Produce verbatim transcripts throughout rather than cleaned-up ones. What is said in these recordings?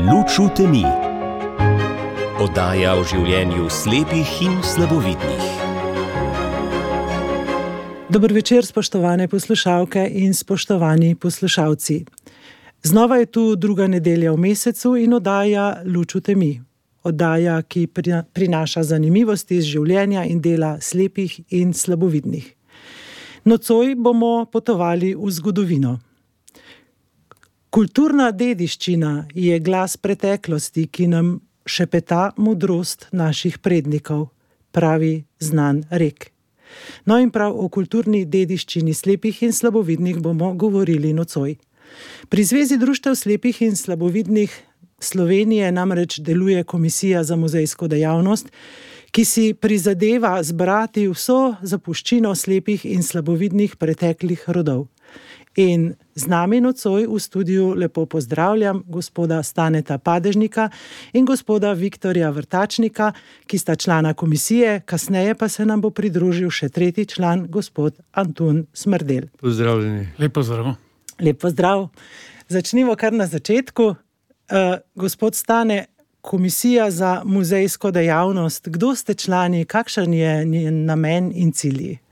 Luč v temi. Oddaja o življenju slepih in slabovidnih. Dober večer, spoštovane poslušalke in spoštovani poslušalci. Znova je tu druga nedelja v mesecu in oddaja Luč v temi. Oddaja, ki prinaša zanimivosti iz življenja in dela slepih in slabovidnih. Nocoj bomo potovali v zgodovino. Kulturna dediščina je glas preteklosti, ki nam šepeta modrost naših prednikov, pravi znan rek. No in prav o kulturni dediščini slepih in slabovidnih bomo govorili nocoj. Pri Zvezi društev slepih in slabovidnih Slovenije namreč deluje Komisija za muzejsko dejavnost, ki si prizadeva zbrati vso zapuščino slepih in slabovidnih preteklih rodov. In z nami nocoj v studiu lepo pozdravljam gospoda Staneta Padežnika in gospoda Viktorja Vrtačnika, ki sta člana komisije, kasneje pa se nam bo pridružil še tretji član, gospod Antun Smrdelj. Pozdravljeni. Lep pozdrav. Lep pozdrav. Začnimo kar na začetku. Uh, gospod Stane, Komisija za muzejsko dejavnost, kdo ste člani, kakšen je njen namen in cilji?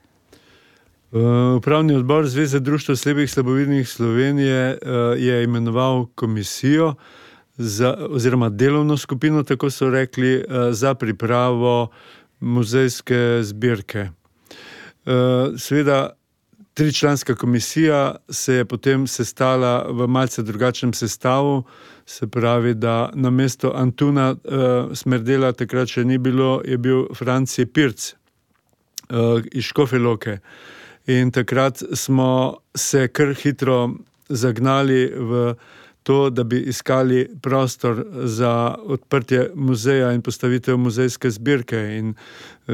Upravni odbor Zveze društev slepih slabovidnih Slovenije je imenoval komisijo za, oziroma delovno skupino, tako so rekli, za pripravo muzejske zbirke. Seveda, tričlanska komisija se je potem sestala v malce drugačnem sestavu, se pravi, da namesto Antuna Smrdela takrat še ni bilo, je bil Franci Pirc iz Škofje Loke. In takrat smo se kar hitro zagnali v to, da bi iskali prostor za odprtje muzeja in postavitev muzejske zbirke. In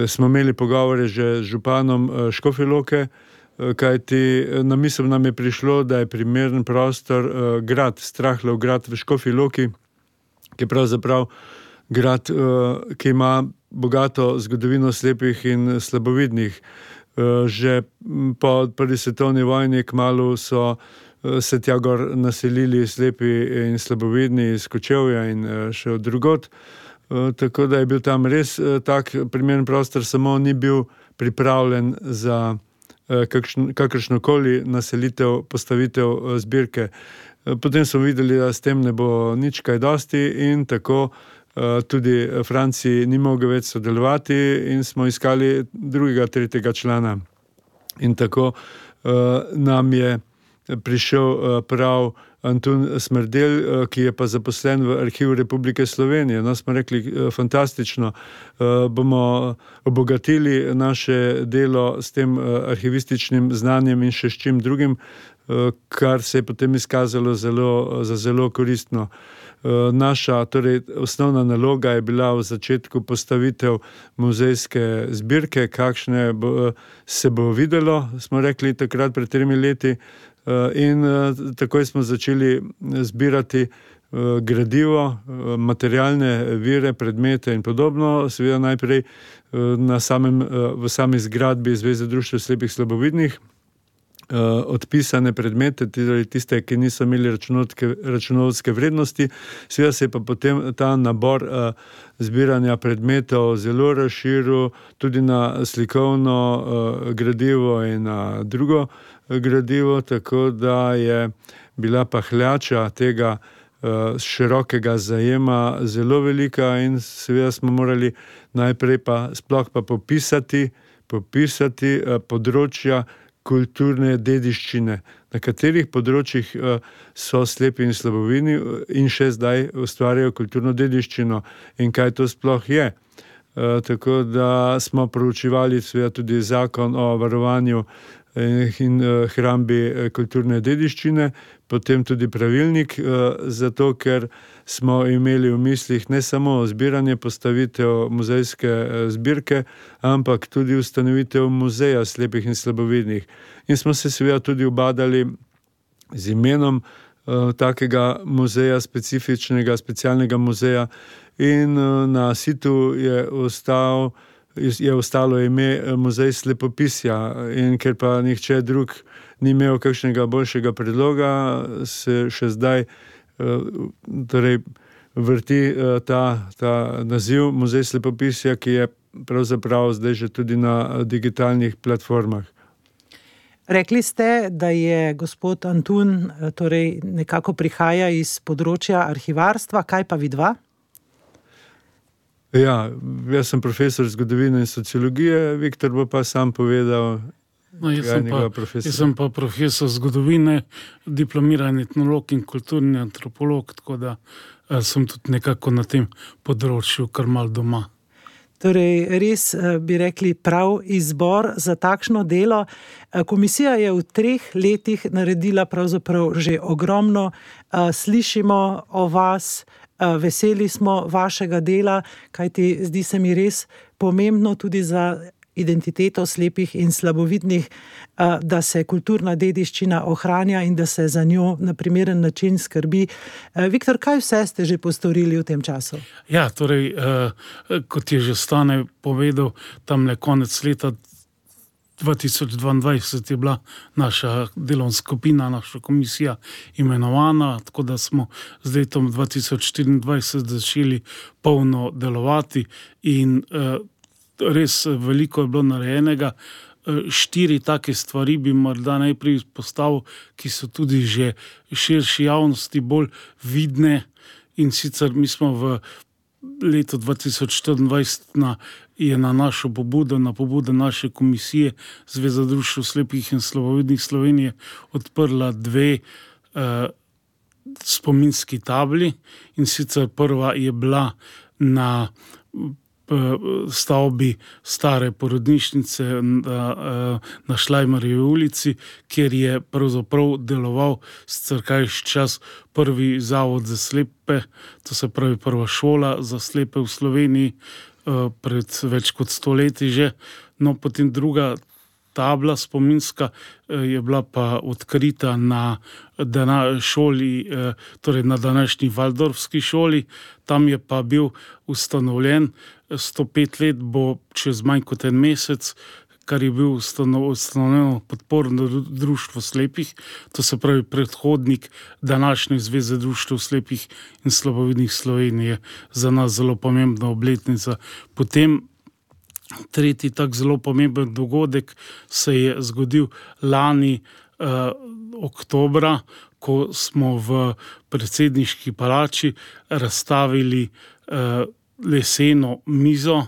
smo imeli pogovore že z županom Škofje Loke, kajti na misel nam je prišlo, da je primeren prostor grad, Strahlov grad v Škofji Loki, ki je pravzaprav grad, ki ima bogato zgodovino slepih in slabovidnih. Že po prvi svetovni vojni kmalu so se tja gor naselili slepi in slabovidni iz Kočevja in še od drugod. Tako da je bil tam res tak primeren prostor, samo ni bil pripravljen za kakšn, kakršnokoli naselitev, postavitev zbirke. Potem smo videli, da s tem ne bo nič kaj dosti in tako tudi Franci ni mogel več sodelovati in smo iskali drugega, tretjega člana. In tako uh, nam je prišel uh, prav Antun Smrdelj, ki je pa zaposlen v Arhivu Republike Slovenije. No, smo rekli, fantastično, uh, bomo obogatili naše delo s tem uh, arhivističnim znanjem in še s čim drugim, uh, kar se je potem izkazalo zelo, za zelo koristno. Naša, torej osnovna naloga je bila v začetku postavitev muzejske zbirke, kakšne bo, se bo videlo, smo rekli takrat pred tremi leti, in takoj smo začeli zbirati gradivo, materialne vire, predmete in podobno, seveda najprej na samem, v sami zgradbi Zveze društev slepih slabovidnih, odpisane predmete, tiste, ki niso imeli računovodske vrednosti. Seveda se je pa potem ta nabor zbiranja predmetov zelo razširil tudi na slikovno gradivo in na drugo gradivo, tako da je bila pahljača tega širokega zajema zelo velika in seveda smo morali najprej pa sploh pa popisati, popisati področja kulturne dediščine, na katerih področjih so slepi in slabovidni in še zdaj ustvarjajo kulturno dediščino in kaj to sploh je. Tako da smo proučevali seveda tudi zakon o varovanju in hrambi kulturne dediščine, potem tudi pravilnik, zato ker smo imeli v mislih ne samo zbiranje, postavitev muzejske zbirke, ampak tudi ustanovitev muzeja slepih in slabovidnih. In smo se seveda tudi ubadali z imenom takega muzeja, specifičnega, specialnega muzeja, in na situ je ostal je ostalo ime Muzej slepopisja, in ker pa nihče drug ni imel kakšnega boljšega predloga, se še zdaj torej vrti ta, ta naziv Muzej slepopisja, ki je pravzaprav zdaj že tudi na digitalnih platformah. Rekli ste, da je gospod Antun, torej nekako prihaja iz področja arhivarstva, kaj pa vidva? Ja, jaz sem profesor zgodovine in sociologije, Viktor bo pa sam povedal. No, jaz, sem pa, jaz sem pa profesor zgodovine, diplomirani etnolog in kulturni antropolog, tako da eh, sem tudi nekako na tem področju kar mal doma. Torej, res bi rekli prav izbor za takšno delo. Komisija je v treh letih naredila pravzaprav že ogromno. Slišimo o vas, veseli smo vašega dela, kajti zdi se mi res pomembno tudi za identiteto slepih in slabovidnih, da se kulturna dediščina ohranja in da se za njo na primeren način skrbi. Viktor, kaj vse ste že postorili v tem času? Ja, torej, kot je že Stane povedal, tamle konec leta dva tisoč dvaindvajset je bila naša delovna skupina, naša komisija imenovana, tako da smo z letom dva tisoč štiriindvajset začeli polno delovati in res veliko je bilo narejenega. Štiri take stvari bi morda najprej izpostavil, ki so tudi že širši javnosti bolj vidne, in sicer mi smo v letu dva tisoč štiriindvajset na, je na našo pobudo, na pobudo naše komisije Zveza društev slepih in slabovidnih Slovenije odprla dve eh, spominski tabli, in sicer prva je bila na stavbi stare porodnišnice na, na Šlajmarjevi ulici, kjer je pravzaprav deloval sicer kajši čas prvi zavod za slepe, to se pravi prva šola za slepe v Sloveniji pred več kot sto leti že. No, potem druga tabla spominska je bila pa odkrita na dana šoli, torej na današnji Valdorfski šoli. Tam je pa bil ustanovljen, sto pet let bo čez manj kot en mesec, kar je bil ustanovljeno podporno društvo slepih, to se pravi predhodnik današnje Zveze društev slepih in slabovidnih Slovenije, za nas zelo pomembna obletnica. Potem tretji tak zelo pomemben dogodek se je zgodil lani eh, oktobra, ko smo v predsedniški palači razstavili eh, leseno mizo,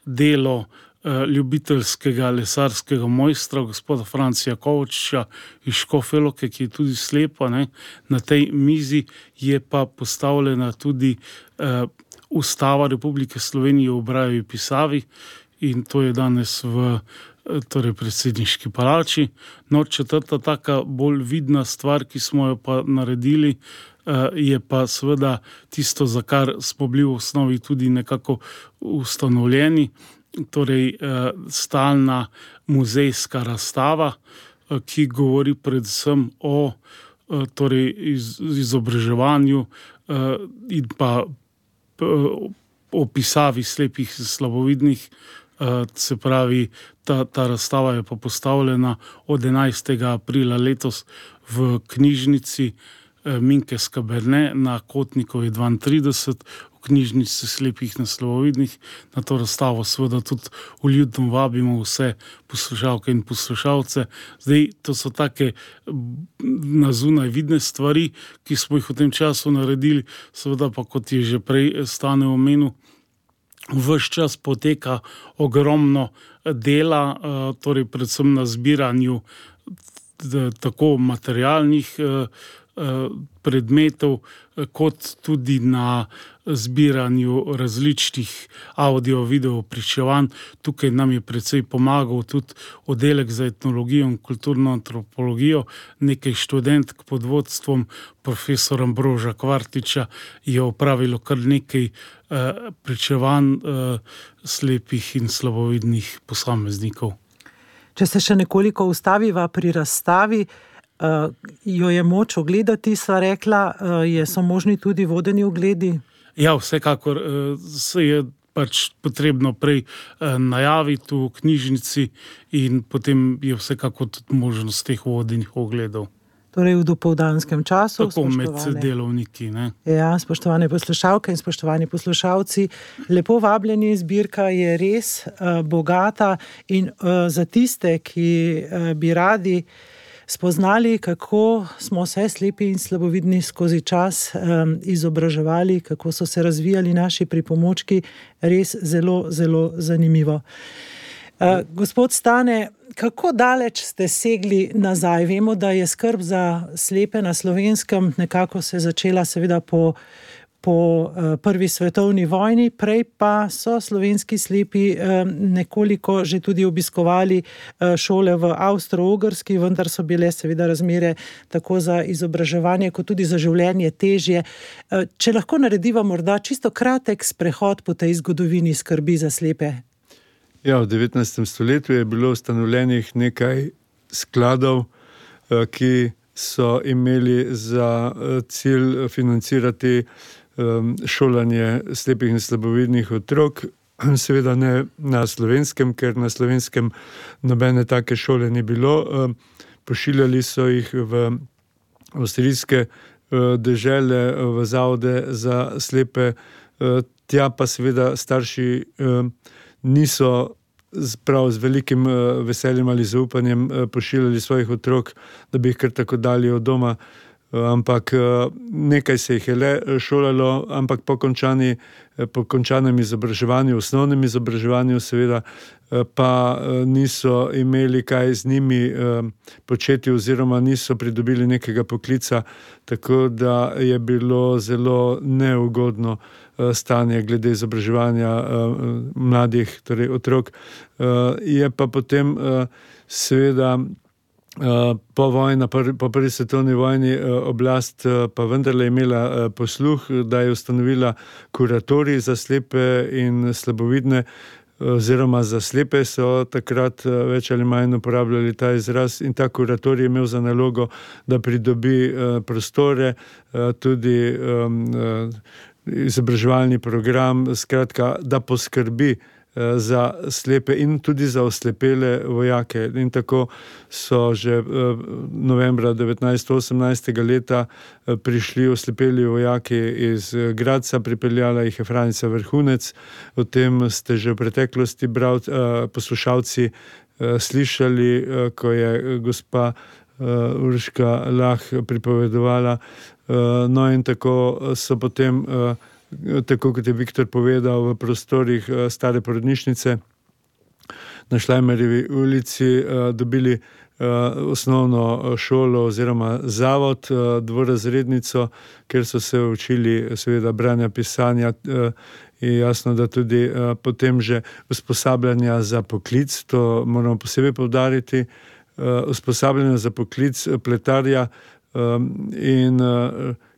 delo eh, ljubiteljskega lesarskega mojstra, gospoda Francija Kovačiča iz Škofje Loke, ki je tudi slepa, ne. Na tej mizi je pa postavljena tudi eh, Ustava Republike Slovenije v Brajevi pisavi, in to je danes v torej predsedniški palači. No, četrta taka bolj vidna stvar, ki smo jo pa naredili, je pa seveda tisto, za kar smo bili v osnovi tudi nekako ustanovljeni, torej stalna muzejska razstava, ki govori predvsem o torej izobraževanju in pa o pisavi slepih in slabovidnih. Se pravi, ta, ta razstava je pa postavljena od enajstega aprila letos v knjižnici Minke Skaberne na Kotnikovi dvaintrideset, v knjižnici slepih in slabovidnih. Na to razstavo seveda tudi vljudno vabimo vse poslušalke in poslušalce. Zdaj, to so take na zunaj vidne stvari, ki smo jih v tem času naredili, seveda pa, kot je že prej Stane omenil, ves čas poteka ogromno dela, torej predvsem na zbiranju tako materialnih predmetov, kot tudi na zbiranju različnih audio-video pričevanj. Tukaj nam je precej pomagal tudi oddelek za etnologijo in kulturno antropologijo. Nekaj študentk pod vodstvom profesora Ambroža Kvartiča je opravilo kar nekaj eh, pričevanj eh, slepih in slabovidnih posameznikov. Če se še nekoliko ustaviva pri razstavi, Uh, jo je moč ogledati, sva rekla, uh, je, so možni tudi vodeni ogledi? Ja, vsekakor uh, se je pač potrebno prej uh, najaviti v knjižnici in potem je vsekakor tudi možnost teh vodenih ogledov. Torej v dopoldanskem času. Tako med delovniki. Ne? Ja, spoštovane poslušalke in spoštovani poslušalci, lepo vabljeni, zbirka je res uh, bogata in uh, za tiste, ki uh, bi radi spoznali, kako smo se slepi in slabovidni skozi čas um, izobraževali, kako so se razvijali naši pripomočki, res zelo, zelo zanimivo. Uh, gospod Stane, kako daleč ste segli nazaj? Vemo, da je skrb za slepe na Slovenskem nekako se začela seveda po, po uh, prvi svetovni vojni, prej pa so slovenski slepi uh, nekoliko že tudi obiskovali uh, šole v Avstro-Ogrski, vendar so bile seveda razmere tako za izobraževanje kot tudi za življenje težje. Uh, če lahko narediva morda čisto kratek sprehod po tej zgodovini skrbi za slepe. Ja, v devetnajstem stoletju je bilo ustanovljenih nekaj skladov, ki so imeli za cilj financirati šolanje slepih in slabovidnih otrok. Seveda ne na Slovenskem, ker na Slovenskem nobene take šole ni bilo. Pošiljali so jih v avstrijske dežele, v zavode za slepe. Tja pa seveda starši niso prav z velikim veseljem ali zaupanjem pošiljali svojih otrok, da bi jih kar tako dali od doma, ampak nekaj se jih je le šolalo, ampak po končani, po končanem izobraževanju, osnovnem izobraževanju seveda, pa niso imeli kaj z njimi početi oziroma niso pridobili nekega poklica, tako da je bilo zelo neugodno stanje glede izobraževanja mladih, torej otrok. Je pa potem seveda po vojni, po prvi svetovni vojni oblast pa vendarle imela posluh, da je ustanovila kuratorij za slepe in slabovidne, oziroma za slepe so takrat več ali manj uporabljali ta izraz, in ta kuratorij je imel za nalogo, da pridobi prostore, tudi izobraževalni program, skratka, da poskrbi za slepe in tudi za oslepele vojake. In tako so že novembra devetnajststo osemnajstega leta prišli oslepeli vojaki iz Gradca, pripeljala jih je Franica Vrhunec. O tem ste že v preteklosti bral, poslušalci slišali, ko je gospa Urška Lah pripovedovala. No in tako so potem, tako kot je Viktor povedal, v prostorih stare porodnišnice na Šlajmerjevi ulici dobili osnovno šolo oziroma zavod, dvorazrednico, kjer so se učili seveda branja, pisanja, in jasno, da tudi potem že usposabljanja za poklic, to moramo posebej poudariti, usposabljanja za poklic pletarja in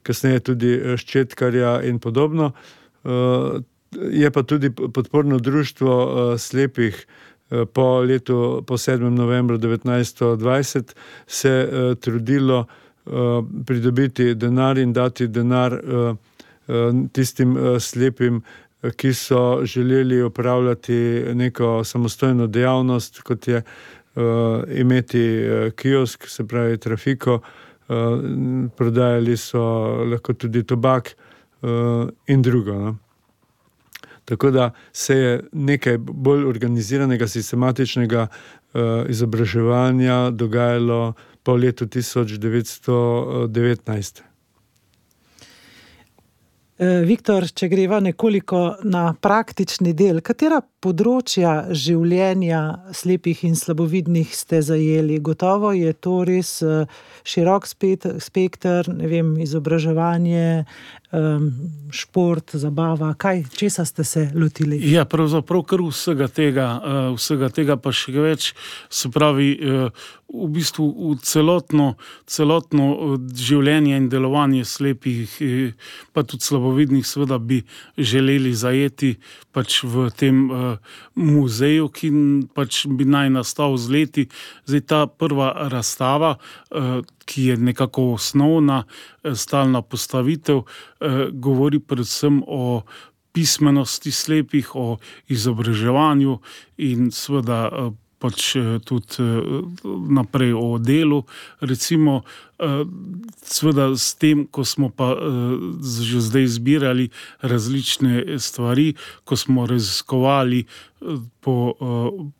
kasneje tudi ščetkarja in podobno. Je pa tudi podporno društvo slepih po letu, po sedmem novembru devetnajststo dvajset se trudilo pridobiti denar in dati denar tistim slepim, ki so želeli opravljati neko samostojno dejavnost, kot je imeti kiosk, se pravi trafiko. Prodajali so lahko tudi tobak in drugo. No? Tako da se je nekaj bolj organiziranega, sistematičnega izobraževanja dogajalo po letu tisoč devetsto devetnajst. Viktor, če greva nekoliko na praktični del, katera področja življenja slepih in slabovidnih ste zajeli? Gotovo je to res širok spekter, ne vem, izobraževanje, šport, zabava, kaj, česa ste se lotili? Ja, pravzaprav kar vsega tega, vsega tega pa še več, se pravi, v bistvu v celotno, celotno življenje in delovanje slepih, pa tudi slabovidnih, seveda bi želeli zajeti pač v tem muzeju, ki pač bi naj nastal z leti. Zdaj ta prva razstava, ki je nekako osnovna, stalna postavitev, govori predvsem o pismenosti slepih, o izobraževanju in seveda pač tudi naprej o delu. Recimo Sveda s tem, ko smo pa že zdaj zbirali različne stvari, ko smo raziskovali po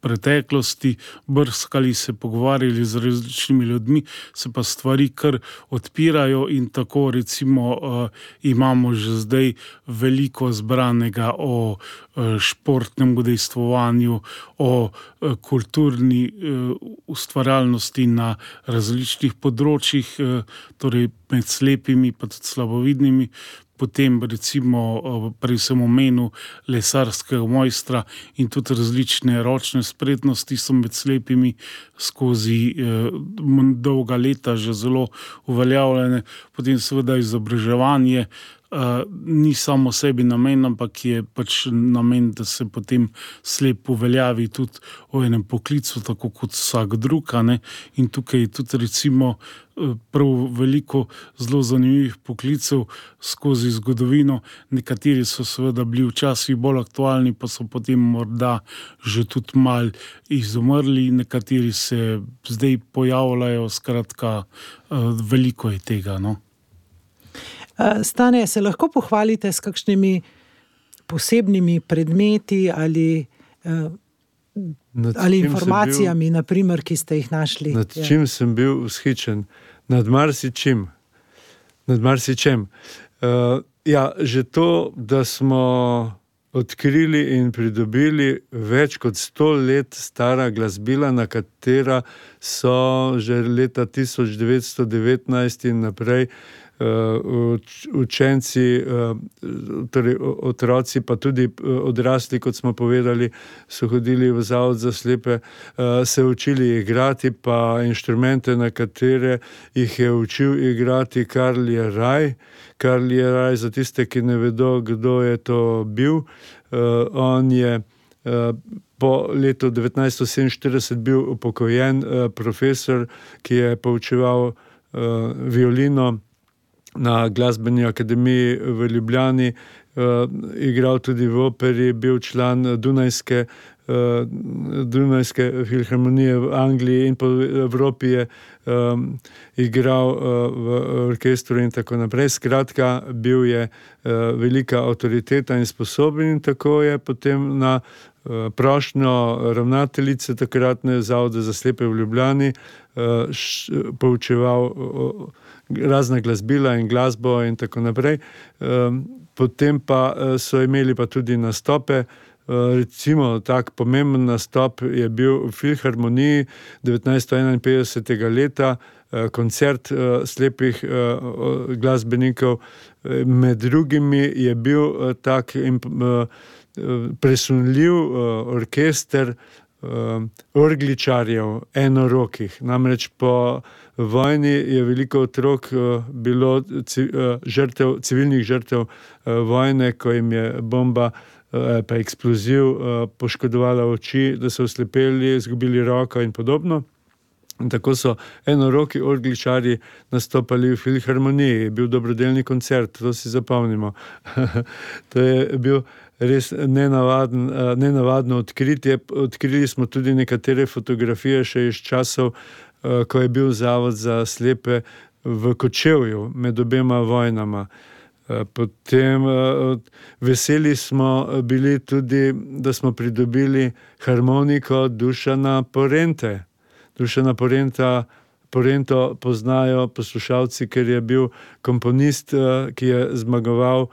preteklosti, brskali se, pogovarjali z različnimi ljudmi, se pa stvari kar odpirajo in tako recimo imamo že zdaj veliko zbranega o športnem udejstvovanju, o kulturni ustvarjalnosti na različnih področjih, torej med slepimi pa tudi slabovidnimi. Potem recimo prej sem omenil lesarskega mojstra in tudi različne ročne spretnosti so med slepimi skozi eh, dolga leta že zelo uveljavljene. Potem seveda izobraževanje Uh, ni samo sebi namen, ampak je pač namen, da se potem slep uveljavi tudi v enem poklicu, tako kot vsak drug, a ne? In tukaj je tudi recimo prav veliko zelo zanimivih poklicev skozi zgodovino. Nekateri so seveda bili včasih bolj aktualni, pa so potem morda že tudi mal izumrli, nekateri se zdaj pojavljajo, skratka, uh, veliko je tega, no. Stane, se lahko pohvalite s kakšnimi posebnimi predmeti ali, ali informacijami, bil, naprimer, ki ste jih našli? Nad ja. čim sem bil vzhičen? Nad marsičim. Nad marsičem. Uh, ja, že to, da smo odkrili in pridobili več kot sto let stara glasbila, na katera so že leta tisoč devetsto devetnajst in naprej Uh, učenci, uh, torej otroci, pa tudi odrasli, kot smo povedali, so hodili v zavod za slepe, uh, se učili igrati, pa inštrumente, na katere jih je učil igrati Karl Jeraj. Karl Jeraj, za tiste, ki ne vedo, kdo je to bil, uh, on je uh, po letu devetnajststo sedeminštirideset bil upokojen uh, profesor, ki je poučeval uh, violino na glasbeni akademiji v Ljubljani, uh, igral tudi v operi, bil član Dunajske, uh, Dunajske filharmonije v Angliji in po Evropi je um, igral uh, v orkestru in tako naprej. Skratka, bil je uh, velika avtoriteta in sposoben in tako je potem na uh, prošnjo ravnateljice takratne Zavoda za slepe v Ljubljani uh, š, poučeval uh, razna glasbila in glasbo in tako naprej. Potem pa so imeli pa tudi nastope, recimo tak pomemben nastop je bil v filharmoniji devetnajststo enainpetdesetega leta, koncert slepih glasbenikov. Med drugimi je bil tak presunljiv orkester orgličarjev, enorokih. Namreč po vojni je veliko otrok bilo žrtev, civilnih žrtev vojne, ko jim je bomba pa eksploziv poškodovala oči, da so oslepeli, izgubili roko in podobno. In tako so enoroki orgličarji nastopali v filharmoniji. Je bil dobrodelni koncert, to si zapomnimo. To je bil res nenavaden, nenavadno odkritje. Odkrili smo tudi nekatere fotografije še iz časov, ko je bil Zavod za slepe v Kočevju med obema vojnama. Potem veseli smo bili tudi, da smo pridobili harmoniko Dušana Porente. Dušana Porenta, Porento poznajo poslušalci, ker je bil komponist, ki je zmagoval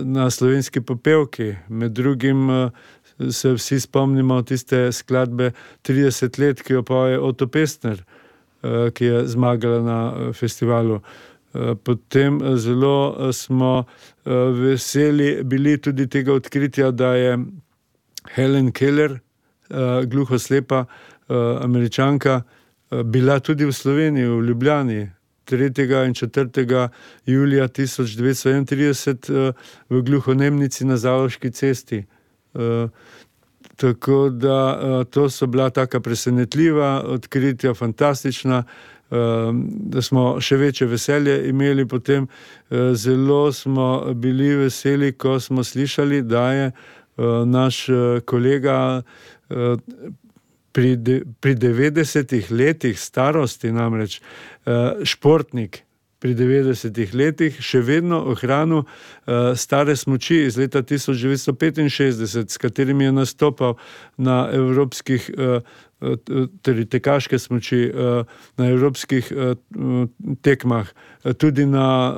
na Slovenski popevki. Med drugim se vsi spomnimo tiste skladbe trideset let, ki jo poje Oto Pestner, ki je zmagala na festivalu. Potem zelo smo veseli bili tudi tega odkritja, da je Helen Keller, gluhoslepa Američanka, bila tudi v Sloveniji, v Ljubljani, tretjega in četrtega julija tisoč devetsto enaintrideset v gluhonemnici na Zaloški cesti. Tako da to so bila taka presenetljiva odkritja, fantastična, da smo še večje veselje imeli. Potem zelo smo bili veseli, ko smo slišali, da je naš kolega pri, de, pri devetdesetih letih starosti namreč športnik pri devetdesetih letih še vedno ohranil uh, stare smuči iz leta tisoč devetsto petinšestdeset, s katerimi je nastopal na evropskih, uh, torej tekaške smuči, uh, na evropskih uh, tekmah, tudi na uh,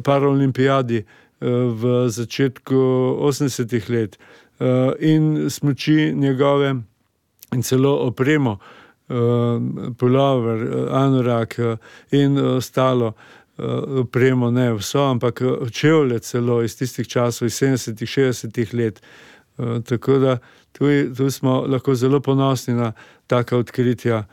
paraolimpijadi uh, v začetku osemdesetih let. Uh, in smuči njegove in celo opremo, Uh, pulover, uh, anorak uh, in ostalo uh, opremo, ne vso, ampak čevlje celo iz tistih časov, iz sedemdesetih, šestdesetih let. Uh, tako da tu, tu smo lahko zelo ponosni na taka odkritja.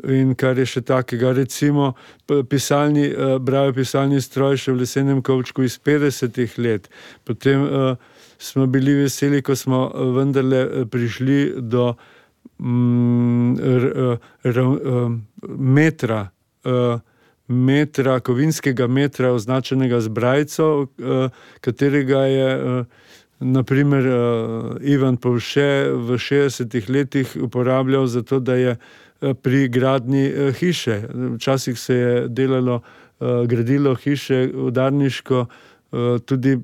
In kar je še takega, recimo pisalni, uh, brajo pisalni stroj še v lesenem kovčku iz petdesetih let. Potem uh, smo bili veseli, ko smo vendarle prišli do metra, metra, kovinskega metra, označenega z brajco, katerega je naprimer Ivan Povše v šestdesetih letih uporabljal za to, da je pri gradnji hiše. Včasih se je delalo, gradilo hiše udarniško, tudi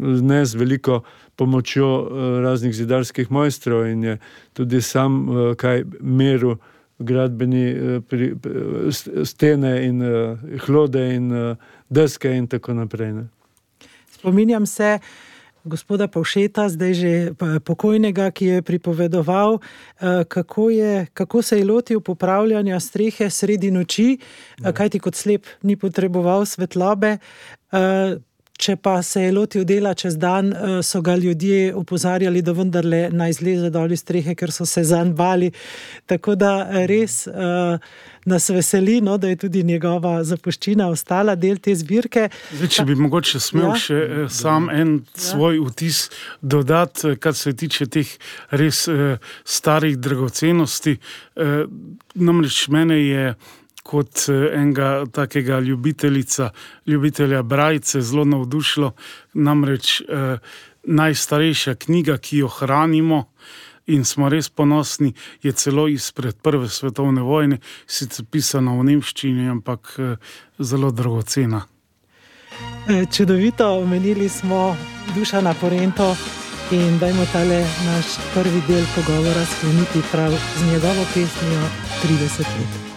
ne z veliko pomočjo raznih zidarskih mojstrov, in je tudi sam kaj meril gradbeni pri, stene in hlode in deske in tako naprej. Ne. Spominjam se gospoda Povšeta, zdaj že pokojnega, ki je pripovedoval, kako, je, kako se je lotil popravljanja strehe sredi noči, ja. Kajti kot slep ni potreboval svetlobe. Če pa se je lotil dela čez dan, so ga ljudje opozarjali, da vendarle naj zleze dol iz strehe, ker so se zanj bali. Tako da res uh, nas veseli, no, da je tudi njegova zapuščina ostala del te zbirke. Zdaj, če bi mogoče smel ja. še eh, sam en ja. svoj vtis dodati, kar se tiče teh res eh, starih dragocenosti. Eh, namreč mene je kot enega takega ljubiteljica, ljubitelja brajce zelo navdušilo, namreč eh, najstarejša knjiga, ki jo hranimo in smo res ponosni, je celo izpred prve svetovne vojne, sicer pisana v nemščini, ampak eh, zelo dragocena. Čudovito, omenili smo Dušana Porento in dajmo tale naš prvi del pogovora skleniti prav z njegovo pesmijo trideset let.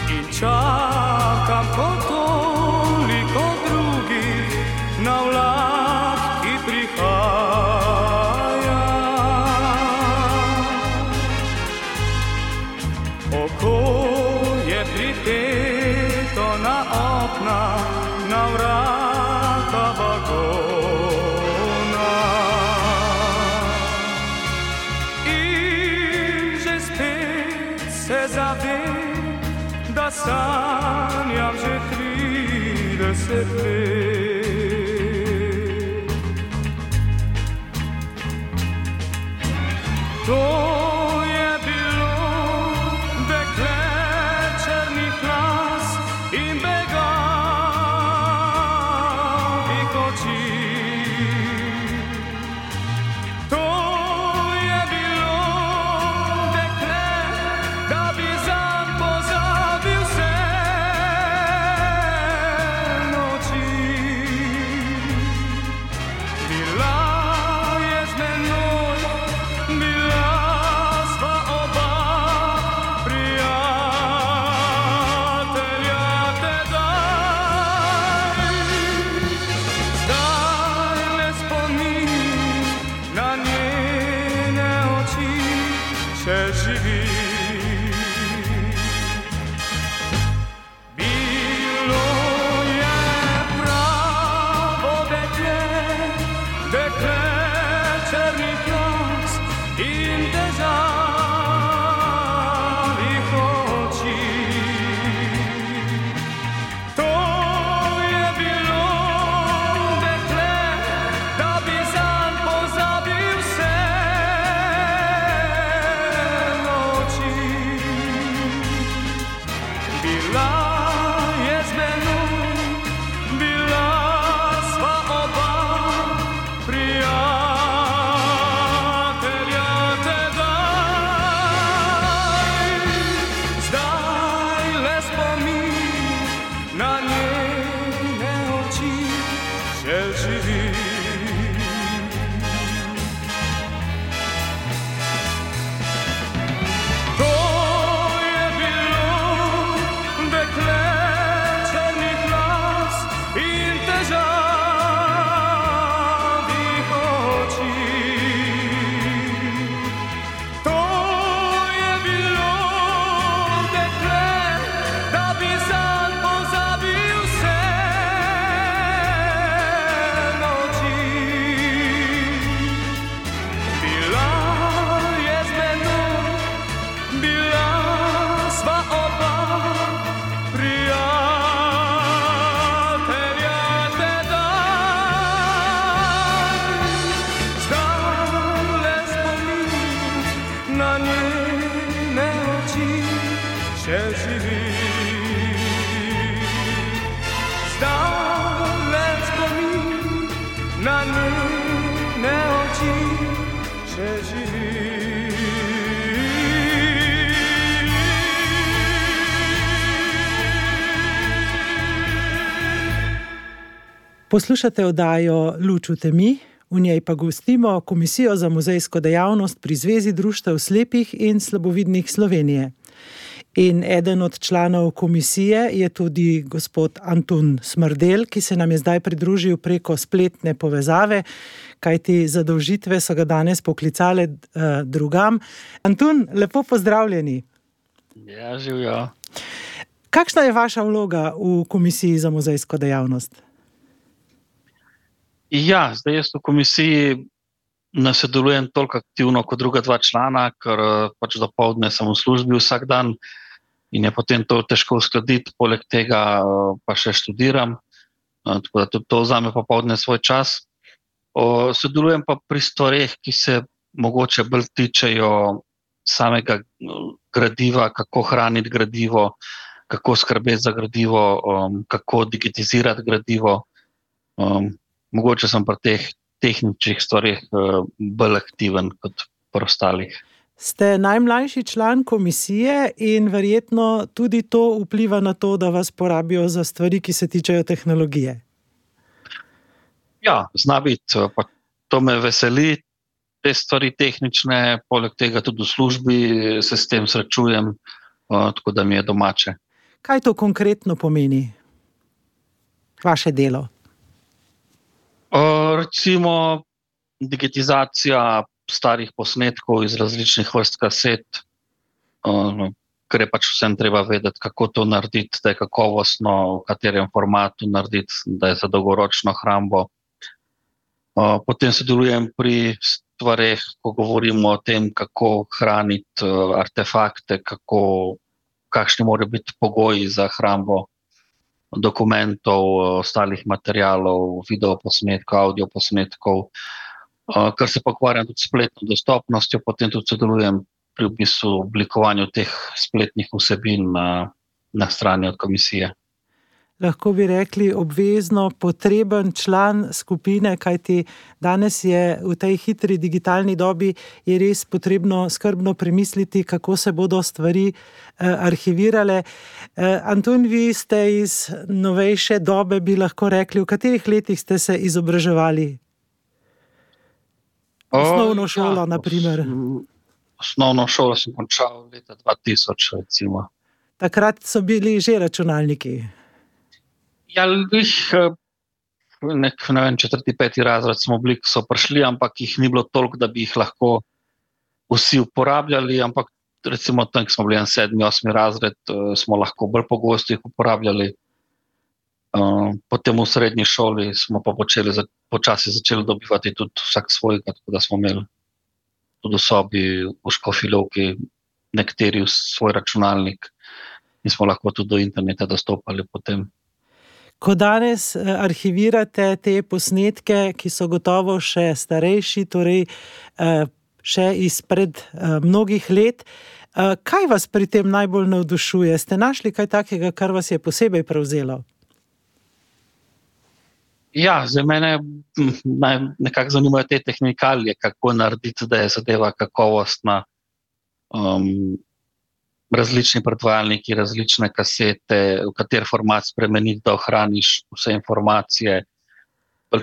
In čakam kot toliko drugih na vlak, ki prihaja. Oko je pripeto na okna, na vrata vagona. Se zavem, da sanjam že trideset let. To je bilo dekle črnih las in begavih oči. Noči bila je z menoj, bila sva oba prijatelja tedaj. Zdaj le spomin na njene oči še živi. To je bilo dekle črnih las in težavih oči. To je bilo dekle, da bi zanj pozabil vse noči. Bila je z menoj, bila sva oba prijatelja tedaj. Zdaj le spomin na njene oči še živi. Zdaj le spomin na njene oči še živi. Poslušate oddajo Luč v temi, v njej pa gostimo Komisijo za muzejsko dejavnost pri Zvezi društev slepih in slabovidnih Slovenije. In eden od članov komisije je tudi gospod Antun Smrdelj, ki se nam je zdaj pridružil preko spletne povezave, kajti zadolžitve so ga danes poklicale uh, drugam. Antun, lepo pozdravljeni. Ja, živijo. Kakšna je vaša vloga v Komisiji za muzejsko dejavnost? Ja, zdaj jaz v komisiji ne sodelujem toliko aktivno kot druga dva člana, ker pač dopoldne sem v službi vsak dan in je potem to težko uskladiti, poleg tega pa še študiram, tako da tudi to vzame popoldne svoj čas. O, sodelujem pa pri stvareh, ki se mogoče bolj tičejo samega gradiva, kako hraniti gradivo, kako skrbeti za gradivo, um, kako digitizirati gradivo. Um, mogoče sem pri teh tehničnih stvarih uh, bolj aktiven kot pri ostalih. Ste najmlajši član komisije in verjetno tudi to vpliva na to, da vas porabijo za stvari, ki se tičejo tehnologije. Ja, zna biti, pa to me veseli, te stvari tehnične, poleg tega tudi v službi se s tem srečujem, uh, tako da mi je domače. Kaj to konkretno pomeni? Vaše delo? Uh, recimo digitizacija starih posnetkov iz različnih vrst kaset, uh, ker je pač vsem treba vedeti, kako to narediti, da je kakovostno, v katerem formatu narediti, da je za dolgoročno hrambo. Uh, potem sodelujem pri stvareh, ko govorimo o tem, kako hraniti uh, artefakte, kako, kakšni morajo biti pogoji za hrambo dokumentov, ostalih materialov, videoposnetkov, audioposnetkov, kar se pa ukvarjam tudi s spletno dostopnostjo, potem tudi sodelujem pri v bistvu oblikovanju teh spletnih vsebin na, na strani od komisije. Lahko bi rekli obvezno potreben član skupine, kajti danes je v tej hitri digitalni dobi je res potrebno skrbno premisliti, kako se bodo stvari eh, arhivirale. Eh, Antun, vi ste iz novejše dobe, bi lahko rekli, v katerih letih ste se izobraževali? Osnovno šolo, ja, na primer. Osnovno šolo sem končal leta dva tisoč, recimo. Takrat so bili že računalniki. Ja, jih, nek, ne vem, četrti, peti razred smo bili, so prišli, ampak jih ni bilo toliko, da bi jih lahko vsi uporabljali, ampak recimo tam, ko smo bili en sedmi, osmi razred, smo lahko bolj pogosto jih uporabljali. Potem v srednji šoli smo pa počeli, počasi začeli dobivati tudi vsak svojega, tako da smo imeli tudi v sobi v Škofjeloki nekateri svoj računalnik in smo lahko tudi do interneta dostopali potem. Ko danes arhivirate te posnetke, ki so gotovo še starejši, torej še izpred mnogih let, Kaj vas pri tem najbolj navdušuje? Ste našli kaj takega, kar vas je posebej prevzelo? Ja, za mene nekako zanimajo te tehnikalije, kako narediti, da je zadeva kakovostna. Um, različni predvajalniki, različne kasete, v kater format spremeniti, da ohraniš vse informacije.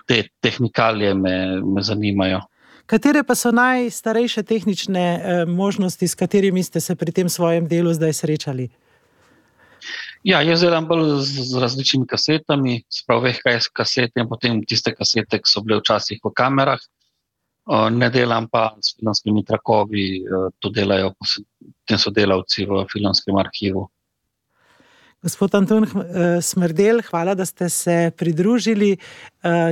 Te tehnikalije me, me zanimajo. Katere pa so najstarejše tehnične eh, možnosti, s katerimi ste se pri tem svojem delu zdaj srečali? Ja, jaz delam bolj z, z različnimi kasetami, sprav V H S kasete in potem tiste kasete, ki so bile včasih v kamerah. Ne delam pa s filmskimi trakovi, to delajo tem sodelavci v filmskem arhivu. Gospod Antun Smrdelj, hvala, da ste se pridružili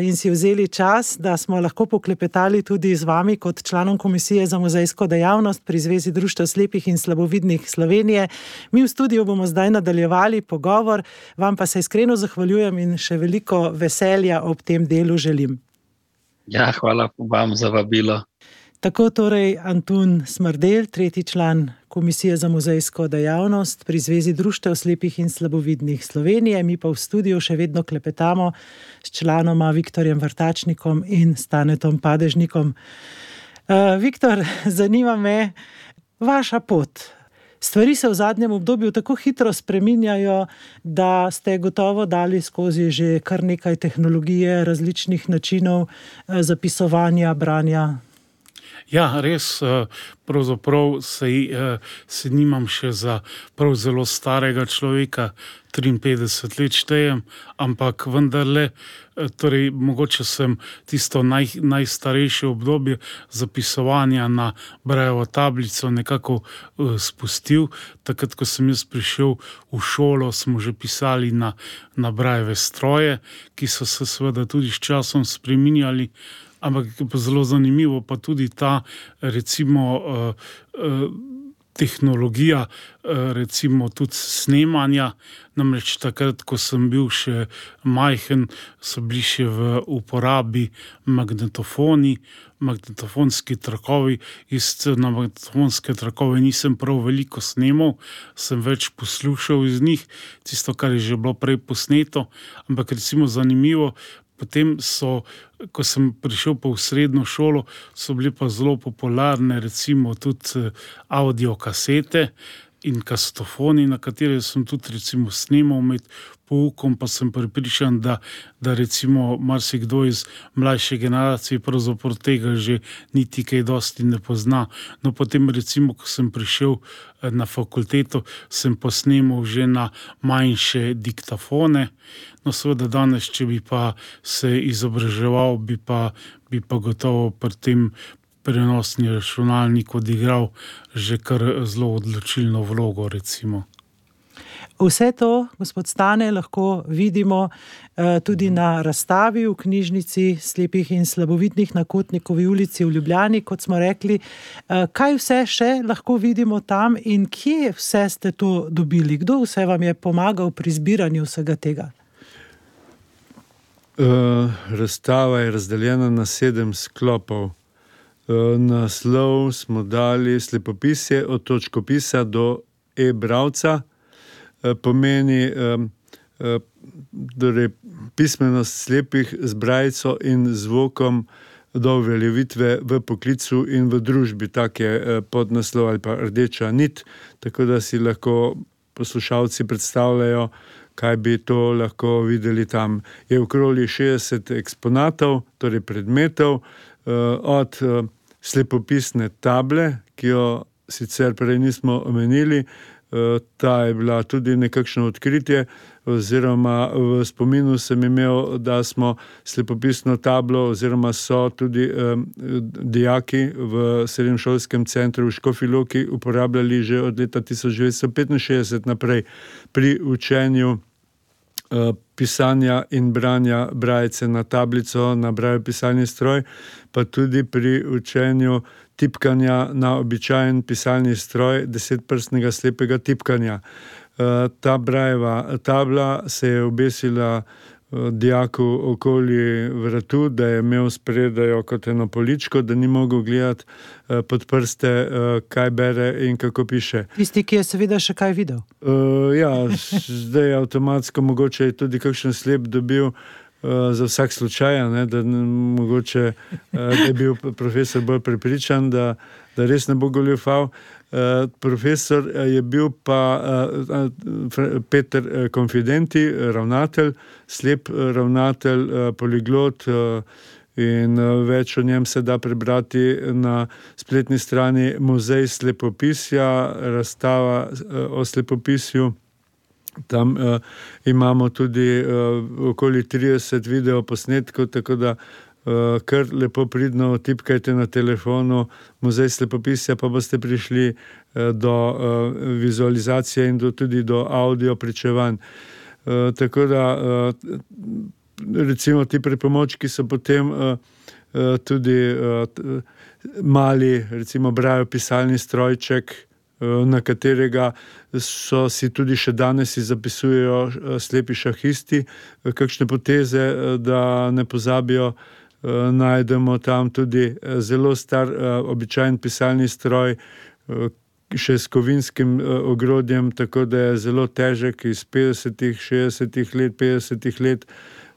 in si vzeli čas, da smo lahko poklepetali tudi z vami kot članom Komisije za muzejsko dejavnost pri Zvezi društev slepih in slabovidnih Slovenije. Mi v studiu bomo zdaj nadaljevali pogovor, vam pa se iskreno zahvaljujem in še veliko veselja ob tem delu želim. Ja, hvala vam za vabilo. Tako torej Antun Smrdelj, tretji član Komisije za muzejsko dejavnost pri Zvezi društev slepih in slabovidnih Slovenije. Mi pa v studiu še vedno klepetamo s članoma Viktorjem Vrtačnikom in Stanetom Padežnikom. Uh, Viktor, zanima me vaša pot. Stvari se v zadnjem obdobju tako hitro spreminjajo, da ste gotovo dali skozi že kar nekaj tehnologije, različnih načinov zapisovanja, branja. Ja, res, pravzaprav se, se nimam še za prav zelo starega človeka, triinpetdeset let štejem, ampak vendarle, torej mogoče sem tisto naj, najstarejše obdobje zapisovanja na brajevo tablico nekako uh, spustil. Takrat, ko sem jaz prišel v šolo, smo že pisali na, na brajeve stroje, ki so se seveda tudi s časom spreminjali. Ampak pa zelo zanimivo pa tudi ta recimo uh, uh, tehnologija, uh, recimo tudi snemanja. Namreč takrat, ko sem bil še majhen, so bili še v uporabi magnetofoni, magnetofonski trakovi. Jaz na magnetofonske trakove nisem prav veliko snemal, sem več poslušal iz njih, tisto, kar je že bilo prej posneto. Ampak recimo zanimivo, potem so, ko sem prišel pa v srednjo šolo, so bili pa zelo popularne recimo tudi audio kasete in kasetofoni, na katere sem tudi recimo snemal med poukom, pa sem pripričan, da, da recimo marsikdo iz mlajše generacije pravzaprav tega že niti kaj dosti ne pozna. No potem recimo, ko sem prišel na fakulteto, sem posnemal že na manjše diktafone. No seveda danes, če bi pa se izobraževal, bi pa, bi pa gotovo pri tem prenosni računalnik odigral že kar zelo odločilno vlogo, recimo. Vse to, gospod Stane, lahko vidimo eh, tudi na razstavi v knjižnici slepih in slabovidnih na Kotnikovi ulici v Ljubljani, kot smo rekli. Eh, kaj vse še lahko vidimo tam in kje vse ste to dobili? Kdo vse vam je pomagal pri zbiranju vsega tega? Uh, razstava je razdeljena na sedem sklopov. Uh, naslov smo dali Slepopisje od točkopisa do e-bralca. Uh, pomeni um, uh, torej, pismenost slepih z brajico in zvokom do uveljavitve v poklicu in v družbi. Tak je uh, podnaslov ali pa rdeča nit, tako da si lahko poslušalci predstavljajo, kaj bi to lahko videli tam. Je okoli šestdeset eksponatov, torej predmetov, od slepopisne table, ki jo sicer prej nismo omenili. Ta je bila tudi nekakšno odkritje, oziroma v spominu sem imel, da smo slepopisno tablo, oziroma so tudi um, dijaki v srednješolskem centru v Škofji Loki uporabljali že od leta tisoč devetsto petinšestdeset naprej pri učenju uh, pisanja in branja brajice na tablico, na brajev pisalni stroj, pa tudi pri učenju tipkanja na običajen pisalni stroj, desetprstnega slepega tipkanja. Ta brajeva tabla se je obesila dijaku okoli vratu, da je imel spredajo kot eno poličko, da ni mogel gledati pod prste, kaj bere in kako piše. Tisti, ki je seveda še kaj videl. Uh, ja, zdaj avtomatsko mogoče je tudi kakšen slep dobil uh, za vsak slučaj, ne, da mogoče uh, da je bil profesor bolj prepričan, da, da res ne bo goljufal. Uh, profesor je bil pa uh, Peter Konfidenti, ravnatelj, slep ravnatelj, uh, poliglot, uh, in uh, več o njem se da prebrati na spletni strani Muzej slepopisja, razstava uh, o slepopisju. Tam uh, imamo tudi uh, okoli trideset video posnetkov, tako da Uh, kar lepo pridno tipkajte na telefonu Muzej slepopisja, pa boste prišli uh, do uh, vizualizacije in do, tudi do audio pričevanj. Uh, tako da uh, recimo ti pripomočki so potem uh, uh, tudi uh, mali, recimo brajo pisalni strojček, uh, na katerega so si tudi še danes zapisujejo uh, slepi šahisti, uh, kakšne poteze, uh, da ne pozabijo. Uh, najdemo tam tudi uh, zelo star, uh, običajen pisalni stroj, uh, še s kovinskim uh, ogrodjem, tako da je zelo težek, iz petdesetih, šestdesetih let, petdesetih let.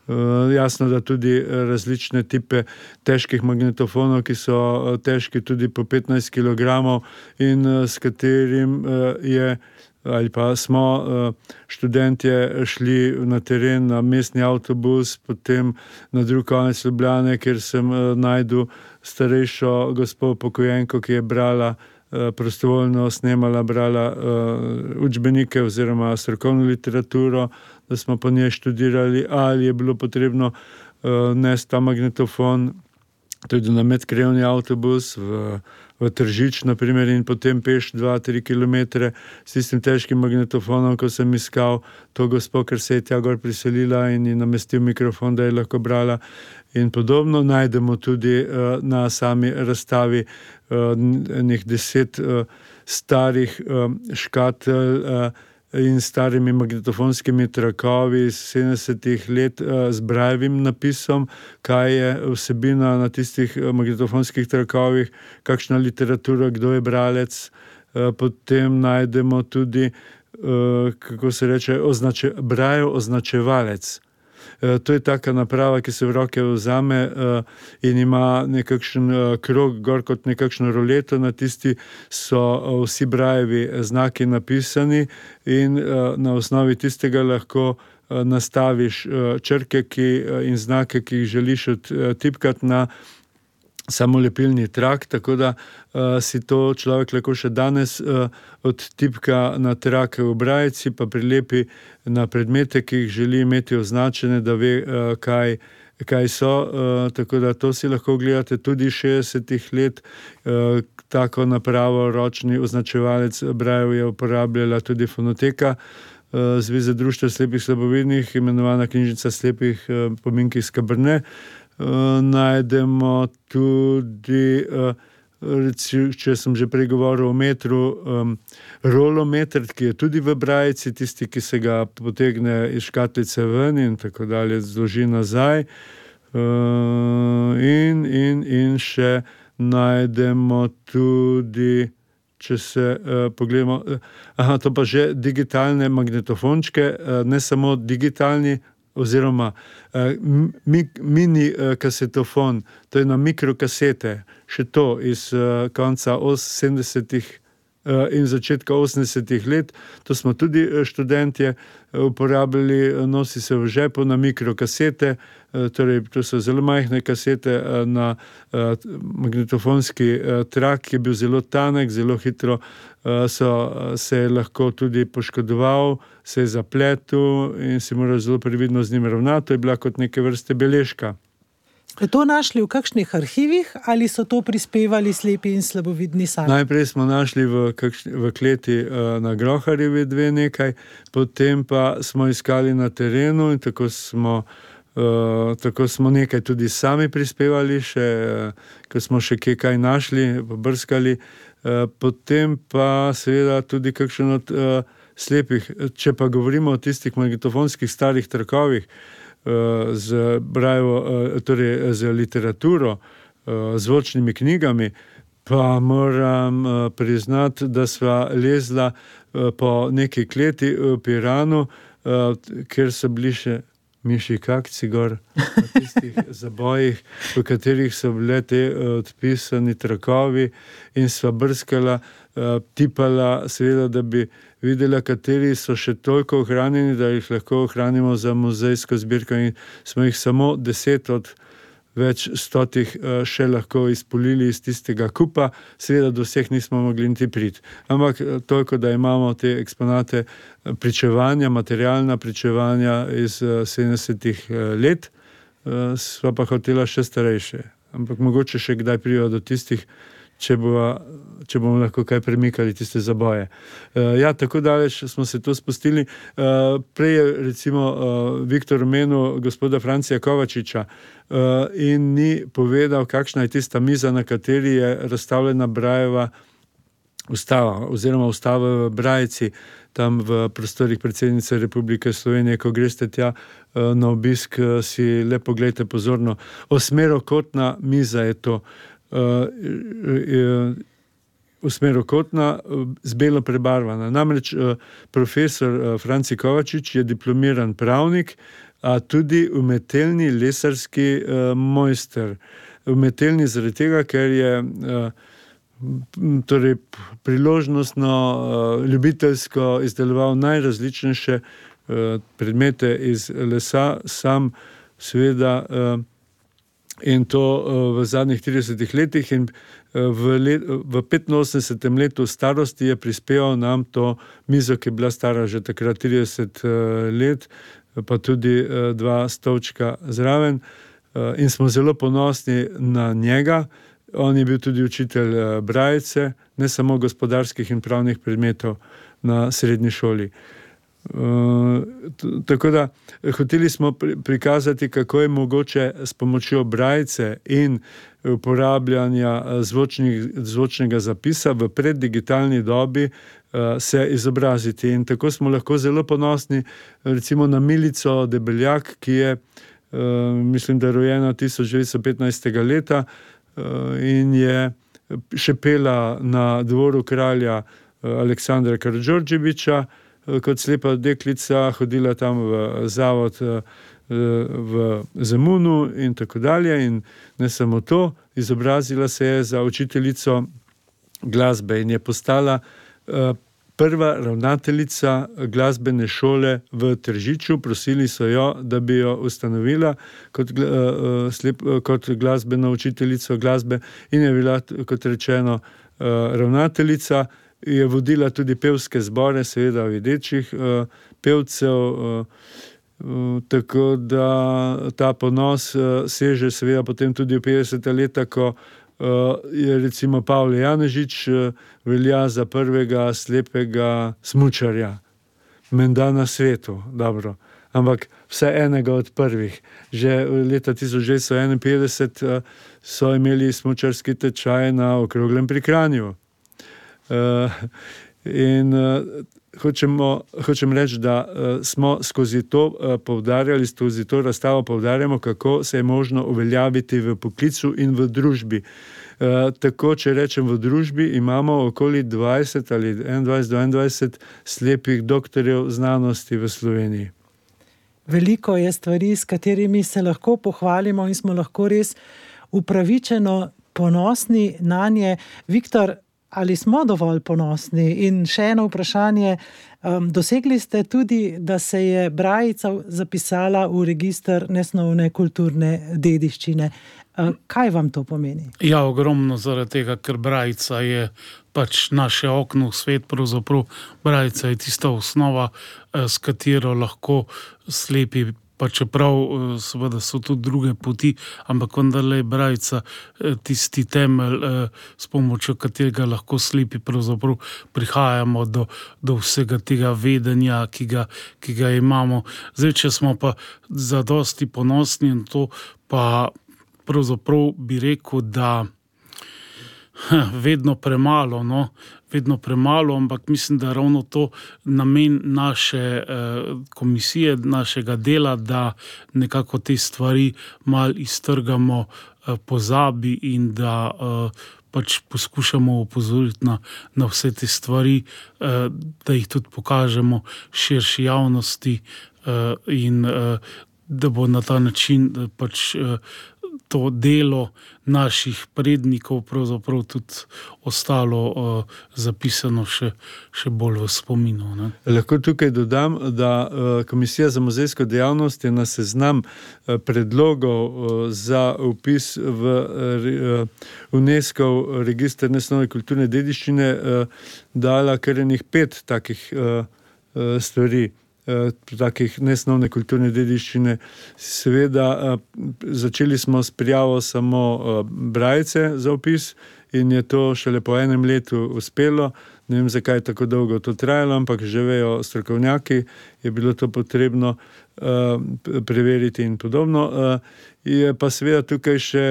Uh, jasno, da tudi uh, različne tipe težkih magnetofonov, ki so uh, težki tudi po petnajst kilogramov in uh, s katerim uh, je ali pa smo uh, študentje šli na teren, na mestni avtobus, potem na drug konec Ljubljane, kjer sem uh, najdel starejšo gospo pokojenko, ki je brala uh, prostovoljno, snemala, brala uh, učbenike oziroma strokovno literaturo, da smo po njej študirali, ali je bilo potrebno uh, nesti ta magnetofon tudi na medkrajevni avtobus v v Tržič, na primer, in potem peš dva, tri kilometre s tistim težkim magnetofonom, ko sem iskal to gospo, ker se je tja gor priselila in ji namestil mikrofon, da je lahko brala in podobno. Najdemo tudi uh, na sami razstavi uh, enih deset uh, starih uh, škatelj uh, in starimi magnetofonskimi trakovi iz sedemdesetih let uh, z brajevim napisom, kaj je vsebina na tistih uh, magnetofonskih trakovih, kakšna literatura, kdo je bralec. Uh, potem najdemo tudi, uh, kako se reče, označe, brajev označevalec. To je taka naprava, ki se v roke vzame uh, in ima nekakšen uh, krog, gor kot nekakšno roleto, na tisti so uh, vsi brajevi znaki napisani in uh, na osnovi tistega lahko uh, nastaviš uh, črke ki, uh, in znake, ki jih želiš odtipkati na samolepilni trak, tako da uh, si to človek lahko še danes uh, odtipka na trak v brajici, pa prilepi na predmete, ki jih želi imeti označene, da ve, uh, kaj, kaj so. Uh, tako da to si lahko gledate tudi šestdesetih let. Uh, tako napravo, ročni označevalec brajev je uporabljala tudi Fonoteka, uh, Zveze društev slepih slabovidnih, imenovana Knjižnica slepih uh, pominki iz Kabrne. Uh, najdemo tudi, uh, reci, če sem že prej govoril o metru, um, rolometr, ki je tudi v brajici, tisti, ki se ga potegne iz škatlice ven in tako dalje, zloži nazaj. Uh, in, in, in še najdemo tudi, če se uh, pogledamo, uh, aha, to pa že digitalne magnetofončke, uh, ne samo digitalni, oziroma uh, mi, mini uh, kasetofon, to je na mikrokasete, še to iz uh, konca sedemdesetih uh, in začetka osemdesetih let. To smo tudi uh, študentje uh, uporabljali, uh, nosi se v žepu na mikrokasete, uh, torej to so zelo majhne kasete uh, na uh, magnetofonski uh, trak, ki je bil zelo tanek, zelo hitro uh, so, uh, se je lahko tudi poškodoval, se je zapletel in si moral zelo previdno z njim ravnati. To je bila kot neke vrste beležka. Ste to našli v kakšnih arhivih ali so to prispevali slepi in slabovidni sami? Najprej smo našli v, kakšni, v kleti uh, na Groharjevi dve nekaj, potem pa smo iskali na terenu in tako smo, uh, tako smo nekaj tudi sami prispevali, še, uh, ko smo še kje kaj našli, pobrskali. Uh, potem pa seveda tudi kakšen od uh, slepih. Če pa govorimo o tistih magnetofonskih starih trakovih, z brajevo, torej z literaturo, zvočnimi knjigami, pa moram priznati, da sva lezla po neki kleti v Piranu, kjer so bili še miši kakci gor na tistih zabojih, v katerih so bile te odpisani trakovi, in sva brskala, tipala, seveda, da bi videla, kateri so še toliko ohranjeni, da jih lahko ohranimo za muzejsko zbirko, in smo jih samo deset od več stotih še lahko izpolili iz tistega kupa, seveda do vseh nismo mogli niti priti. Ampak toliko, da imamo te eksponate pričevanja, materialna pričevanja iz sedemdesetih let, sva pa hotela še starejše. Ampak mogoče še kdaj prijo do tistih, če, bova, če bomo lahko kaj premikali tiste zaboje. Ja, tako daleč smo se to spustili. Prej je recimo Viktor omenil gospoda Francija Kovačiča in ni povedal, kakšna je tista miza, na kateri je razstavljena Brajeva ustava, oziroma ustava v Brajci, tam v prostorih predsednice Republike Slovenije. Ko greste tja na obisk, si le pogledajte pozorno. Osmerokotna miza je to. Osmerokotna, z belo prebarvana. Namreč profesor Franci Kovačič je diplomiran pravnik, a tudi umetelni lesarski mojster. Umetelni zaradi tega, ker je torej priložnostno, ljubiteljsko izdeloval najrazličnejše predmete iz lesa, sam seveda, in to v zadnjih tridesetih letih, in v, let, v petinosemdesetem letu starosti je prispeval nam to mizo, ki je bila stara že takrat trideset let, pa tudi dva stolčka zraven, in smo zelo ponosni na njega. On je bil tudi učitelj Brajice, ne samo gospodarskih in pravnih predmetov na srednji šoli. Uh, tako da hoteli smo pri, prikazati, kako je mogoče s pomočjo Brajice in uporabljanja zvočnih, zvočnega zapisa v preddigitalni dobi uh, se izobraziti. In tako smo lahko zelo ponosni recimo na Milico Debeljak, ki je, uh, mislim, da rojena tisoč devetsto petnajstega leta uh, in je šepela na dvoru kralja uh, Aleksandra Karadžordževića, kot slepa deklica, hodila tam v zavod v Zemunu in tako dalje, in ne samo to, izobrazila se je za učiteljico glasbe in je postala prva ravnateljica glasbene šole v Tržiču. Prosili so jo, da bi jo ustanovila kot, slep, kot glasbeno učiteljico glasbe, in je bila, kot rečeno, ravnateljica. Je vodila tudi pevske zbore, seveda videčih uh, pevcev, uh, uh, tako da ta ponos uh, seže seveda potem tudi v petdeseta leta, ko uh, je recimo Pavle Janežič uh, velja za prvega slepega smučarja. Menda na svetu, dobro, ampak vse enega od prvih. Že leta tisoč devetsto enainpetdeset uh, so imeli smučarski tečaj na Okroglem pri Kranju. Uh, in uh, hočemo, hočem reči, da uh, smo skozi to uh, poudarjali, skozi to razstavo poudarjamo, kako se je možno uveljaviti v poklicu in v družbi. Uh, tako, če rečem v družbi, imamo okoli dvajset ali enaindvajset do enaindvajset slepih doktorjev znanosti v Sloveniji. Veliko je stvari, s katerimi se lahko pohvalimo in smo lahko res upravičeno ponosni na nje. Viktor, ali smo dovolj ponosni? In še eno vprašanje, um, dosegli ste tudi, da se je Brajica zapisala v register nesnovne kulturne dediščine. Uh, kaj vam to pomeni? Ja, ogromno, zaradi tega, ker Brajica je pač naše okno v svet, pravzaprav Brajica je tista osnova, s katero lahko slepi, pa čeprav seveda so tudi druge poti, ampak vendarle je Brajica tisti temelj, s pomočjo katerega lahko slepi pravzaprav prihajamo do, do vsega tega vedenja, ki ga, ki ga imamo. Zdaj, če smo pa zadosti ponosni in to, pa pravzaprav bi rekel, da Vedno premalo, no? Vedno premalo, ampak mislim, da ravno to namen naše eh, komisije, našega dela, da nekako te stvari malo iztrgamo eh, pozabi in da eh, pač poskušamo opozoriti na, na vse te stvari, eh, da jih tudi pokažemo širši javnosti eh, in eh, da bo na ta način eh, pač eh, to delo naših prednikov pravzaprav tudi ostalo uh, zapisano še, še bolj v spominu. Ne? Lahko tukaj dodam, da uh, Komisija za muzejsko dejavnost je na seznam uh, predlogov uh, za vpis v uh, UNESCO register nesnovne kulturne dediščine uh, dala kar enih pet takih uh, uh, stvari. takih nesnovne kulturne dediščine. Seveda, začeli smo s prijavo samo brajce za opis in je to šele po enem letu uspelo. Ne vem, zakaj je tako dolgo to trajalo, ampak že vejo strokovnjaki, je bilo to potrebno preveriti in podobno. Je pa seveda tukaj še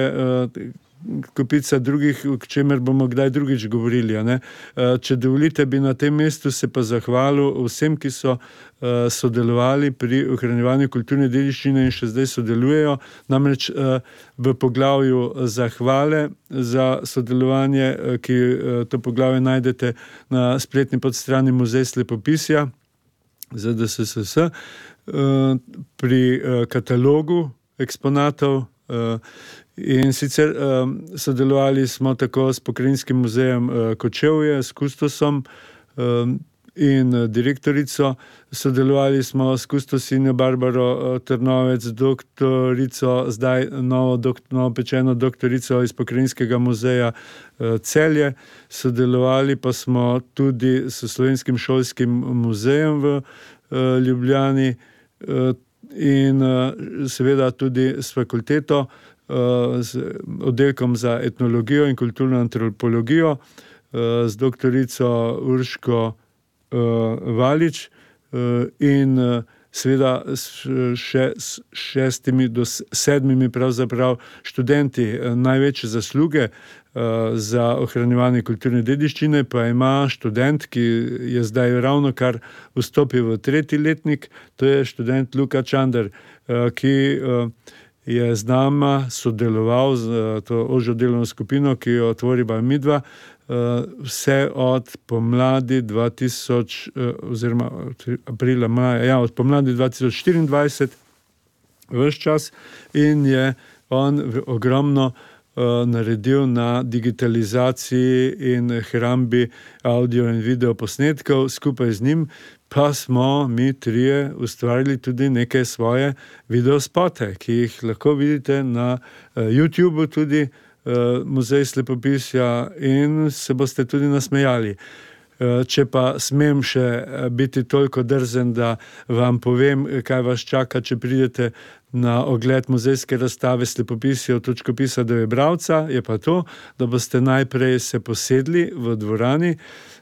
kopica drugih, o čemer bomo kdaj drugič govorili. Ne? Če dovolite, bi na tem mestu se pa zahvalil vsem, ki so sodelovali pri ohranjevanju kulturne dediščine in še zdaj sodelujejo. Namreč v poglavju zahvale za sodelovanje, ki to poglavje najdete na spletni podstrani Muzej slepopisja Z D S S S, pri katalogu eksponatov. In sicer um, sodelovali smo tako s Pokrajinskim muzejem uh, Kočevje, s kustosom um, in uh, direktorico, sodelovali smo s kustosinjo Barbaro uh, Trnovec, doktorico, zdaj novo, dok, novo pečeno doktorico iz Pokrajinskega muzeja uh, Celje, sodelovali pa smo tudi s Slovenskim šolskim muzejem v uh, Ljubljani uh, in uh, seveda tudi s fakulteto, z oddelkom za etnologijo in kulturno antropologijo, z doktorico Urško Valič in seveda še s šestimi do sedmimi pravzaprav študenti. Največje zasluge za ohranjevanje kulturne dediščine pa ima študent, ki je zdaj ravno kar vstopil v tretji letnik, to je študent Luka Čander, ki je z nama sodeloval z to ožjo delovno skupino, ki jo tvoriva midva, vse od pomladi dva tisoč, oziroma aprila, maja, ja, od pomladi dva tisoč štiriindvajset ves čas in je on ogromno naredil na digitalizaciji in hrambi audio in video posnetkov. Skupaj z njim pa smo mi trije ustvarili tudi neke svoje videospote, ki jih lahko vidite na YouTubeu, tudi Muzej slepopisja, in se boste tudi nasmejali. Če pa smem še biti toliko drzen, da vam povem, kaj vas čaka, če pridete na ogled muzejske razstave Slepopisje od točkopisa do bralca, je pa to, da boste najprej se posedli v dvorani,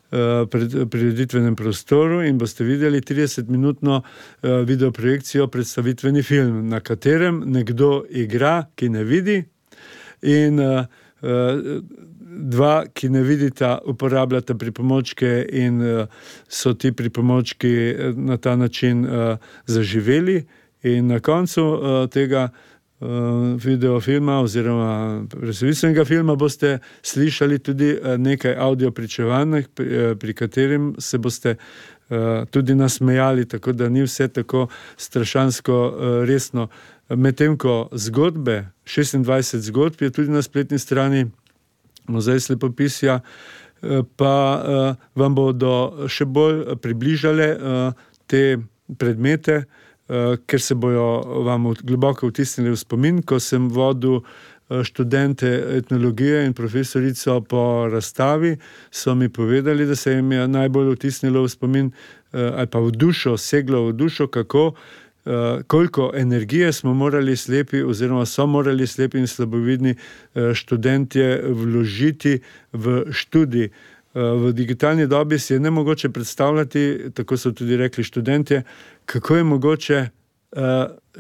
prireditvenem prostoru in boste videli tridesetminutno videoprojekcijo, predstavitveni film, na katerem nekdo igra, ki ne vidi, in dva, ki ne vidita, uporabljata pripomočke in so ti pripomočki na ta način zaživeli. In na koncu tega videofilma oziroma predstavitvenega filma boste slišali tudi nekaj audio pričevanj, pri katerim se boste tudi nasmejali, tako da ni vse tako strašansko resno. Medtem ko zgodbe, šestindvajset zgodb je tudi na spletni strani Muzej slepopisja, pa vam bodo še bolj približale te predmete, ker se bojo vam globoko vtisnili v spomin. Ko sem vodil študente etnologije in profesorico po razstavi, so mi povedali, da se jim je najbolj vtisnilo v spomin ali pa v dušo, seglo v dušo, kako, koliko energije smo morali slepi oziroma so morali slepi in slabovidni študentje vložiti v študij. V digitalni dobi si je nemogoče predstavljati, tako so tudi rekli študentje, kako je mogoče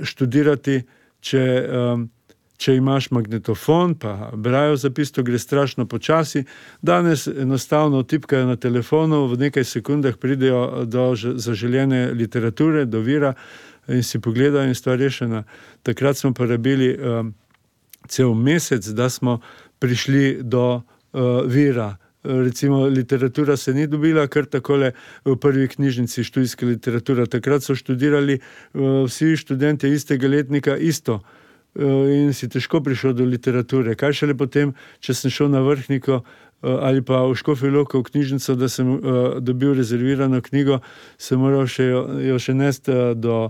študirati, če, če imaš magnetofon, pa brajo zapis, to gre strašno počasi. Danes enostavno tipkajo na telefonu, v nekaj sekundah pridejo do zaželjene literature, do vira in si pogledajo in stvar rešena. Takrat smo porabili um, cel mesec, da smo prišli do uh, vira. Recimo literatura se ni dobila kar takole v prvi knjižnici, študijska literatura. Takrat so študirali uh, vsi študenti istega letnika isto uh, in si težko prišel do literature. Kaj šele potem, če sem šel na Vrhniko uh, ali pa v Škofjo Loko v knjižnico, da sem uh, dobil rezervirano knjigo, sem moral še jo, jo še nesti uh, do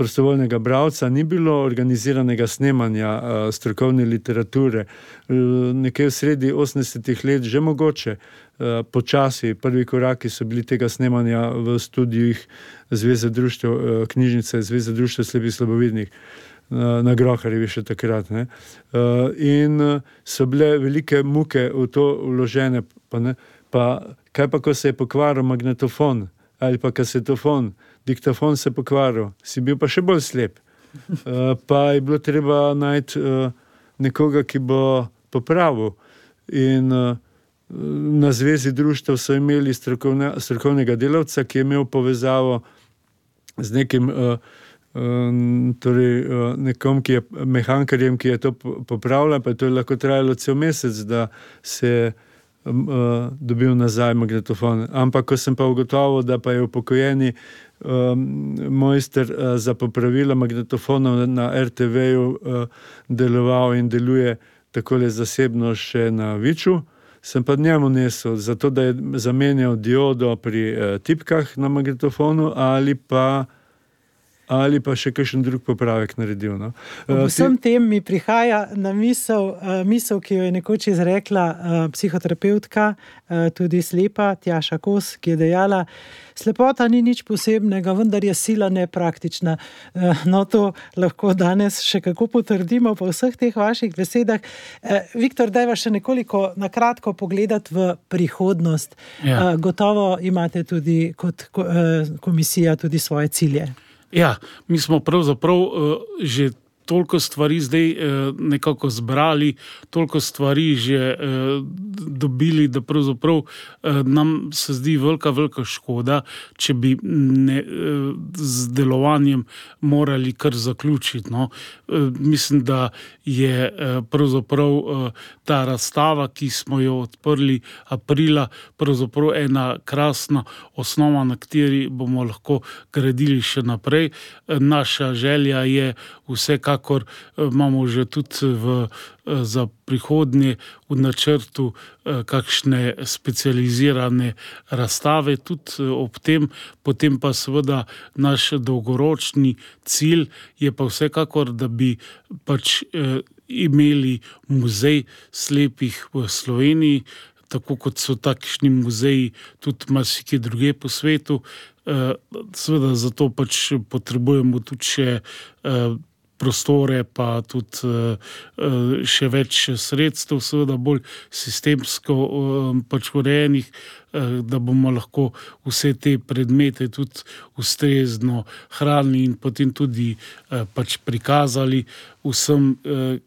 prostovoljnega bralca, ni bilo organiziranega snemanja uh, strokovne literature. Uh, nekje v sredi osemdesetih let že mogoče, uh, počasi, prvi koraki so bili tega snemanja v studijih Zveze društev, uh, knjižnice Zveze društev slepih slabovidnih, uh, na Groharjevi še takrat. Ne? Uh, in uh, so bile velike muke v to vložene. Pa, ne? Pa kaj pa, ko se je pokvaril magnetofon ali pa kasetofon, diktafon se pokvaril, si bil pa še bolj slep. Uh, pa je bilo treba najti uh, nekoga, ki bo popravil. In uh, na Zvezi društev so imeli strokovne, strokovnega delavca, ki je imel povezavo z nekim uh, um, torej, uh, nekom, ki je mehankarjem, ki je to popravljal, pa je to lahko trajalo cel mesec, da se Uh, dobil nazaj magnetofon. Ampak ko sem pa ugotovil, da pa je upokojeni um, mojster uh, za popravila magnetofonov na er te veju uh, deloval in deluje takole zasebno še na Viču, sem pa njemu nesel, zato da je zamenjal diodo pri uh, tipkah na magnetofonu ali pa ali pa še kakšen drug popravek naredil. No. V vsem tem mi prihaja na misel, misel, ki jo je nekoč izrekla psihoterapeutka, tudi slepa, Tjaša Kos, ki je dejala: slepota ni nič posebnega, vendar je sila nepraktična. No, to lahko danes še kako potrdimo po vseh teh vaših besedah. Viktor, dajva še nekoliko na kratko pogledati v prihodnost. Ja. Gotovo imate tudi kot komisija tudi svoje cilje. Ja, mi smo pravzaprav uh, že toliko stvari zdaj uh, nekako zbrali, toliko stvari že uh, dobili, da pravzaprav uh, nam se zdi velika, velika škoda, če bi ne, uh, z delovanjem morali kar zaključiti. No. Uh, mislim, da je uh, pravzaprav uh, ta razstava, ki smo jo odprli aprila, pravzaprav ena krasna osnova, na kateri bomo lahko gradili še naprej. Uh, naša želja je vsekakor, imamo že tudi v, za prihodnje v načrtu kakšne specializirane razstave, tudi ob tem, potem pa seveda naš dolgoročni cilj je pa vsekakor, da bi pač imeli muzej slepih v Sloveniji, tako kot so takšni muzeji tudi marsikje druge po svetu. Seveda zato pač potrebujemo tudi še prostore, pa tudi uh, še več sredstev, seveda bolj sistemsko uh, pač urejenih, uh, da bomo lahko vse te predmete tudi ustrezno hranili in potem tudi uh, pač prikazali vsem, uh,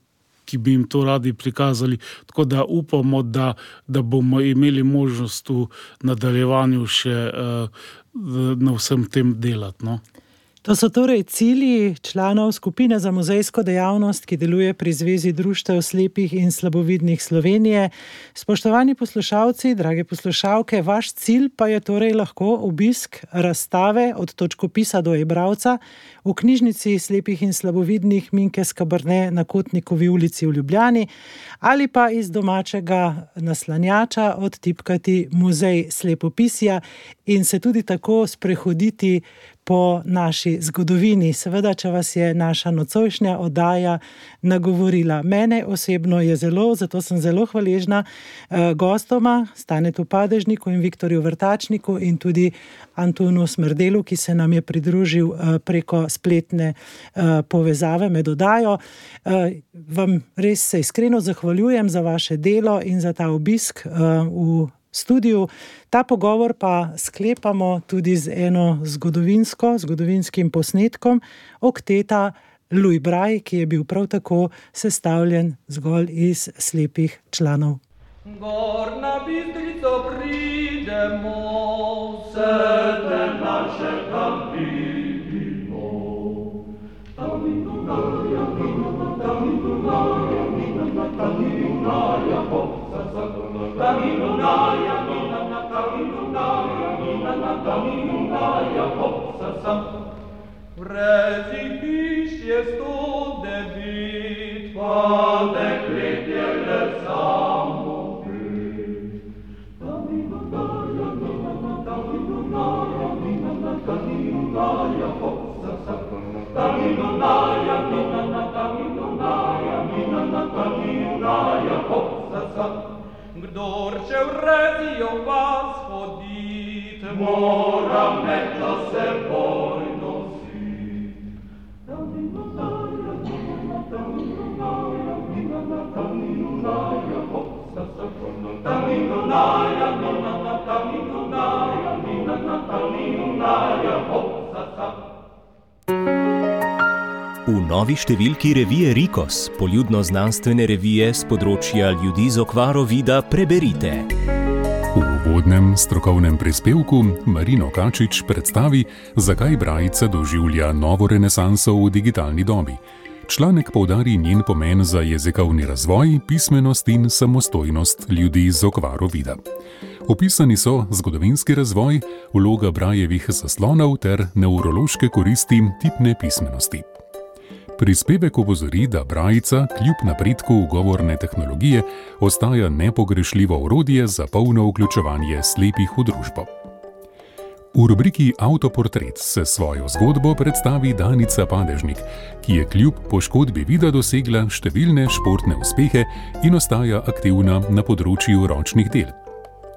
ki bi jim to radi prikazali. Tako da upamo, da, da bomo imeli možnost v nadaljevanju še uh, na vsem tem delati. No? To so torej cilji članov skupine za muzejsko dejavnost, ki deluje pri Zvezi društev slepih in slabovidnih Slovenije. Spoštovani poslušalci, drage poslušalke, vaš cilj pa je torej lahko obisk razstave od točkopisa do e-bralca v knjižnici slepih in slabovidnih Minke Skabrne na Kotnikovi ulici v Ljubljani ali pa iz domačega naslanjača odtipkati Muzej slepopisja in se tudi tako sprehoditi po naši zgodovini. Seveda, če vas je naša nocojšnja oddaja nagovorila. Mene osebno je zelo, zato sem zelo hvaležna eh, gostoma, Stanetu Padežniku in Viktorju Vrtačniku in tudi Antonu Smrdelu, ki se nam je pridružil eh, preko spletne eh, povezave med oddajo. Eh, vam res se iskreno zahvaljujem za vaše delo in za ta obisk eh, v studiu. Ta pogovor pa sklepamo tudi z eno zgodovinsko, zgodovinskim posnetkom okteta Louis Braille, ki je bil prav tako sestavljen zgolj iz slepih članov. Gor na Bistrico pridemo, srce naše tam vidimo. Tam in Dunaja, tam in Dunaja, tam in Dunaja, tam in Dunaja, tam in Dunaja, tam in Dunaja, vrezi piš je sto devet, pa deklet je le samo. Kdor še vredijo vas hodit, mora meto seboj nosit. V novi številki revije Rikos, poljudno-znanstvene revije z področja ljudi z okvaro vida, preberite. V uvodnem strokovnem prispevku Marino Kačič predstavi, zakaj brajica doživlja novo renesanso v digitalni dobi. Članek poudari njen pomen za jezikovni razvoj, pismenost in samostojnost ljudi z okvaro vida. Opisani so zgodovinski razvoj, vloga brajevih zaslonov ter nevrološke koristi tipne pismenosti. Prispevek opozori, da brajica kljub napredku govorne tehnologije ostaja nepogrešljivo orodje za polno vključevanje slepih v družbo. V rubriki Avtoportret se svojo zgodbo predstavi Danica Padežnik, ki je kljub poškodbi vida dosegla številne športne uspehe in ostaja aktivna na področju ročnih del.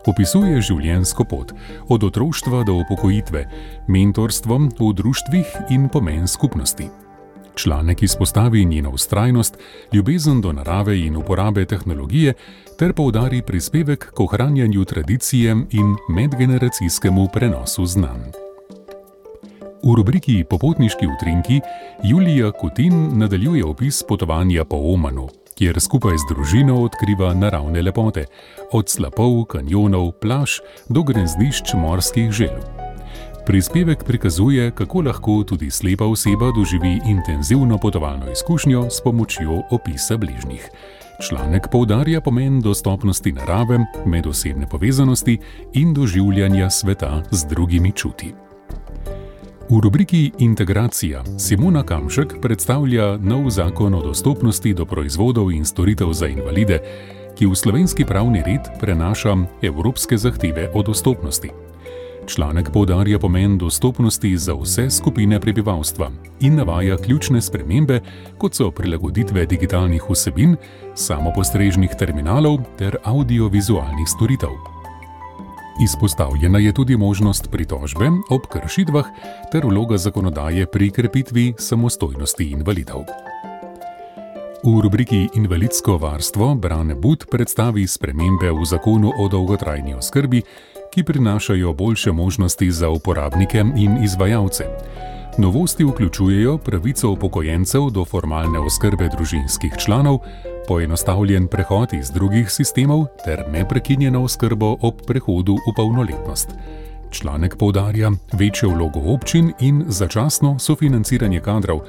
Opisuje življenjsko pot, od otroštva do upokojitve, mentorstvo v društvih in pomen skupnosti. Članek izpostavi njeno vztrajnost, ljubezen do narave in uporabe tehnologije ter poudari prispevek k ohranjanju tradicije in medgeneracijskemu prenosu znanj. V rubriki Popotniški utrinki Julija Kutin nadaljuje opis potovanja po Omanu, kjer skupaj z družino odkriva naravne lepote, od slapov, kanjonov, plaž do gnezdišč morskih želv. Prispevek prikazuje, kako lahko tudi slepa oseba doživi intenzivno potovalno izkušnjo s pomočjo opisa bližnjih. Članek poudarja pomen dostopnosti narave, medosebne povezanosti in doživljanja sveta z drugimi čuti. V rubriki Integracija Simona Kamšek predstavlja nov zakon o dostopnosti do proizvodov in storitev za invalide, ki v slovenski pravni red prenaša evropske zahteve o dostopnosti. Članek poudarja pomen dostopnosti za vse skupine prebivalstva in navaja ključne spremembe, kot so prilagoditve digitalnih vsebin, samopostrežnih terminalov ter audiovizualnih storitev. Izpostavljena je tudi možnost pritožbe ob kršitvah ter vloga zakonodaje pri krepitvi samostojnosti invalidov. V rubriki Invalidsko varstvo Brane But predstavi spremembe v zakonu o dolgotrajni oskrbi, ki prinašajo boljše možnosti za uporabnike in izvajalce. Novosti vključujejo pravico upokojencev do formalne oskrbe družinskih članov, poenostavljen prehod iz drugih sistemov ter neprekinjeno oskrbo ob prehodu v polnoletnost. Članek poudarja večjo vlogo občin in začasno sofinanciranje kadrov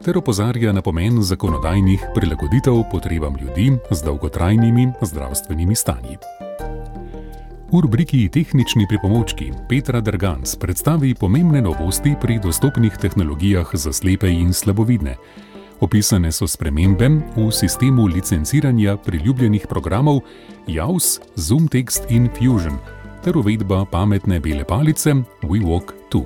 ter opozarja na pomen zakonodajnih prilagoditev potrebam ljudi z dolgotrajnimi zdravstvenimi stanji. V rubriki Tehnični pripomočki Petra Derganc predstavi pomembne novosti pri dostopnih tehnologijah za slepe in slabovidne. Opisane so spremembe v sistemu licenciranja priljubljenih programov JAWS, ZoomText in Fusion ter uvedba pametne bele palice WeWalk dva.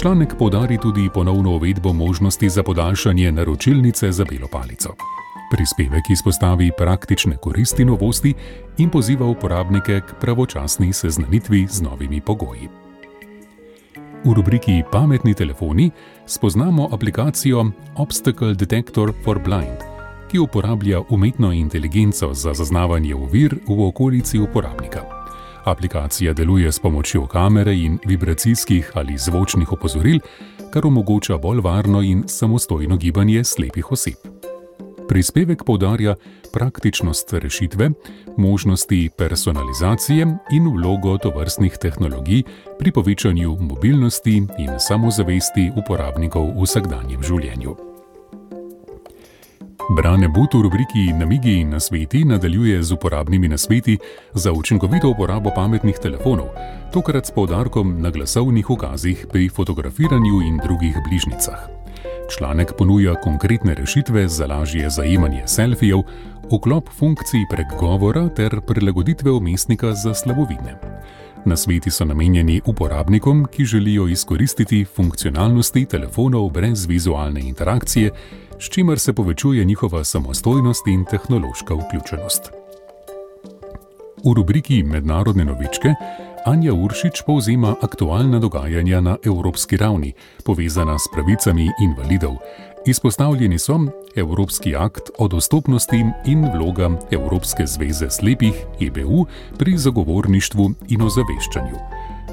Članek poudari tudi ponovno uvedbo možnosti za podaljšanje naročilnice za belo palico. Prispevek izpostavi praktične koristi novosti in poziva uporabnike k pravočasni seznanitvi z novimi pogoji. V rubriki Pametni telefoni spoznamo aplikacijo Obstacle Detector for Blind, ki uporablja umetno inteligenco za zaznavanje ovir v okolici uporabnika. Aplikacija deluje s pomočjo kamere in vibracijskih ali zvočnih opozoril, kar omogoča bolj varno in samostojno gibanje slepih oseb. Prispevek poudarja praktičnost rešitve, možnosti personalizacije in vlogo tovrstnih tehnologij pri povečanju mobilnosti in samozavesti uporabnikov v vsakdanjem življenju. Brane But v rubriki Namigi in nasveti nadaljuje z uporabnimi nasveti za učinkovito uporabo pametnih telefonov, tokrat s poudarkom na glasovnih ukazih pri fotografiranju in drugih bližnjicah. Članek ponuja konkretne rešitve za lažje zajemanje selfijev, vklop funkcij prek govora ter prilagoditve vmesnika za slabovidne. Nasveti so namenjeni uporabnikom, ki želijo izkoristiti funkcionalnosti telefonov brez vizualne interakcije, s čimer se povečuje njihova samostojnost in tehnološka vključenost. V rubriki Mednarodne novičke Anja Uršič povzema aktualna dogajanja na evropski ravni, povezana s pravicami invalidov. Izpostavljeni so Evropski akt o dostopnosti in vloga Evropske zveze slepih E B U pri zagovorništvu in ozaveščanju.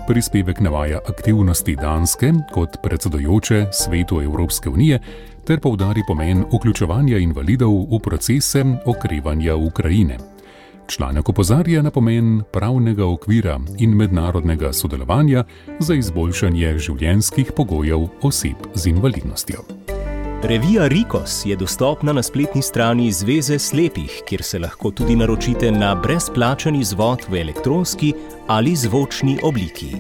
Prispevek navaja aktivnosti Danske kot predsedujoče Svetu Evropske unije ter poudari pomen vključevanja invalidov v procese okrevanja Ukrajine. Članek opozarja na pomen pravnega okvira in mednarodnega sodelovanja za izboljšanje življenjskih pogojev oseb z invalidnostjo. Revija Rikos je dostopna na spletni strani Zveze slepih, kjer se lahko tudi naročite na brezplačen izvod v elektronski ali zvočni obliki.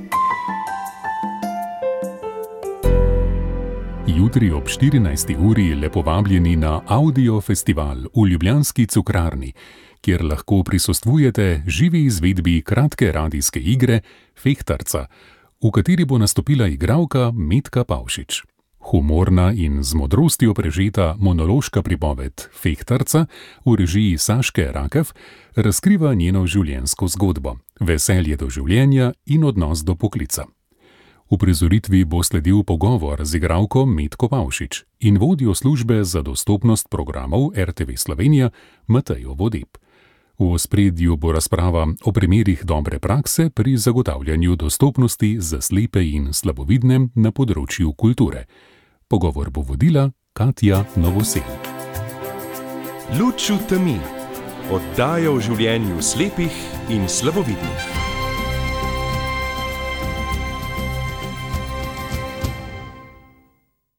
Jutri ob štirinajsti uri lepo vabljeni na Audio festival v ljubljanski Cukrarni, kjer lahko prisostvujete živi izvedbi kratke radijske igre Fehtarca, v kateri bo nastopila igralka Metka Pavšič. Humorna in z modrostjo prežeta monološka pripoved Fehtarca v režiji Saške Rakev razkriva njeno življenjsko zgodbo, veselje do življenja in odnos do poklica. V prizoritvi bo sledil pogovor z igralko Metko Pavšič in vodjo službe za dostopnost programov R T V Slovenija Matejo Vodeb. V ospredju bo razprava o primerih dobre prakse pri zagotavljanju dostopnosti za slepe in slabovidne na področju kulture. Pogovor bo vodila Katja Novosel. Luč v temi. Oddaja o življenju slepih in slabovidnih.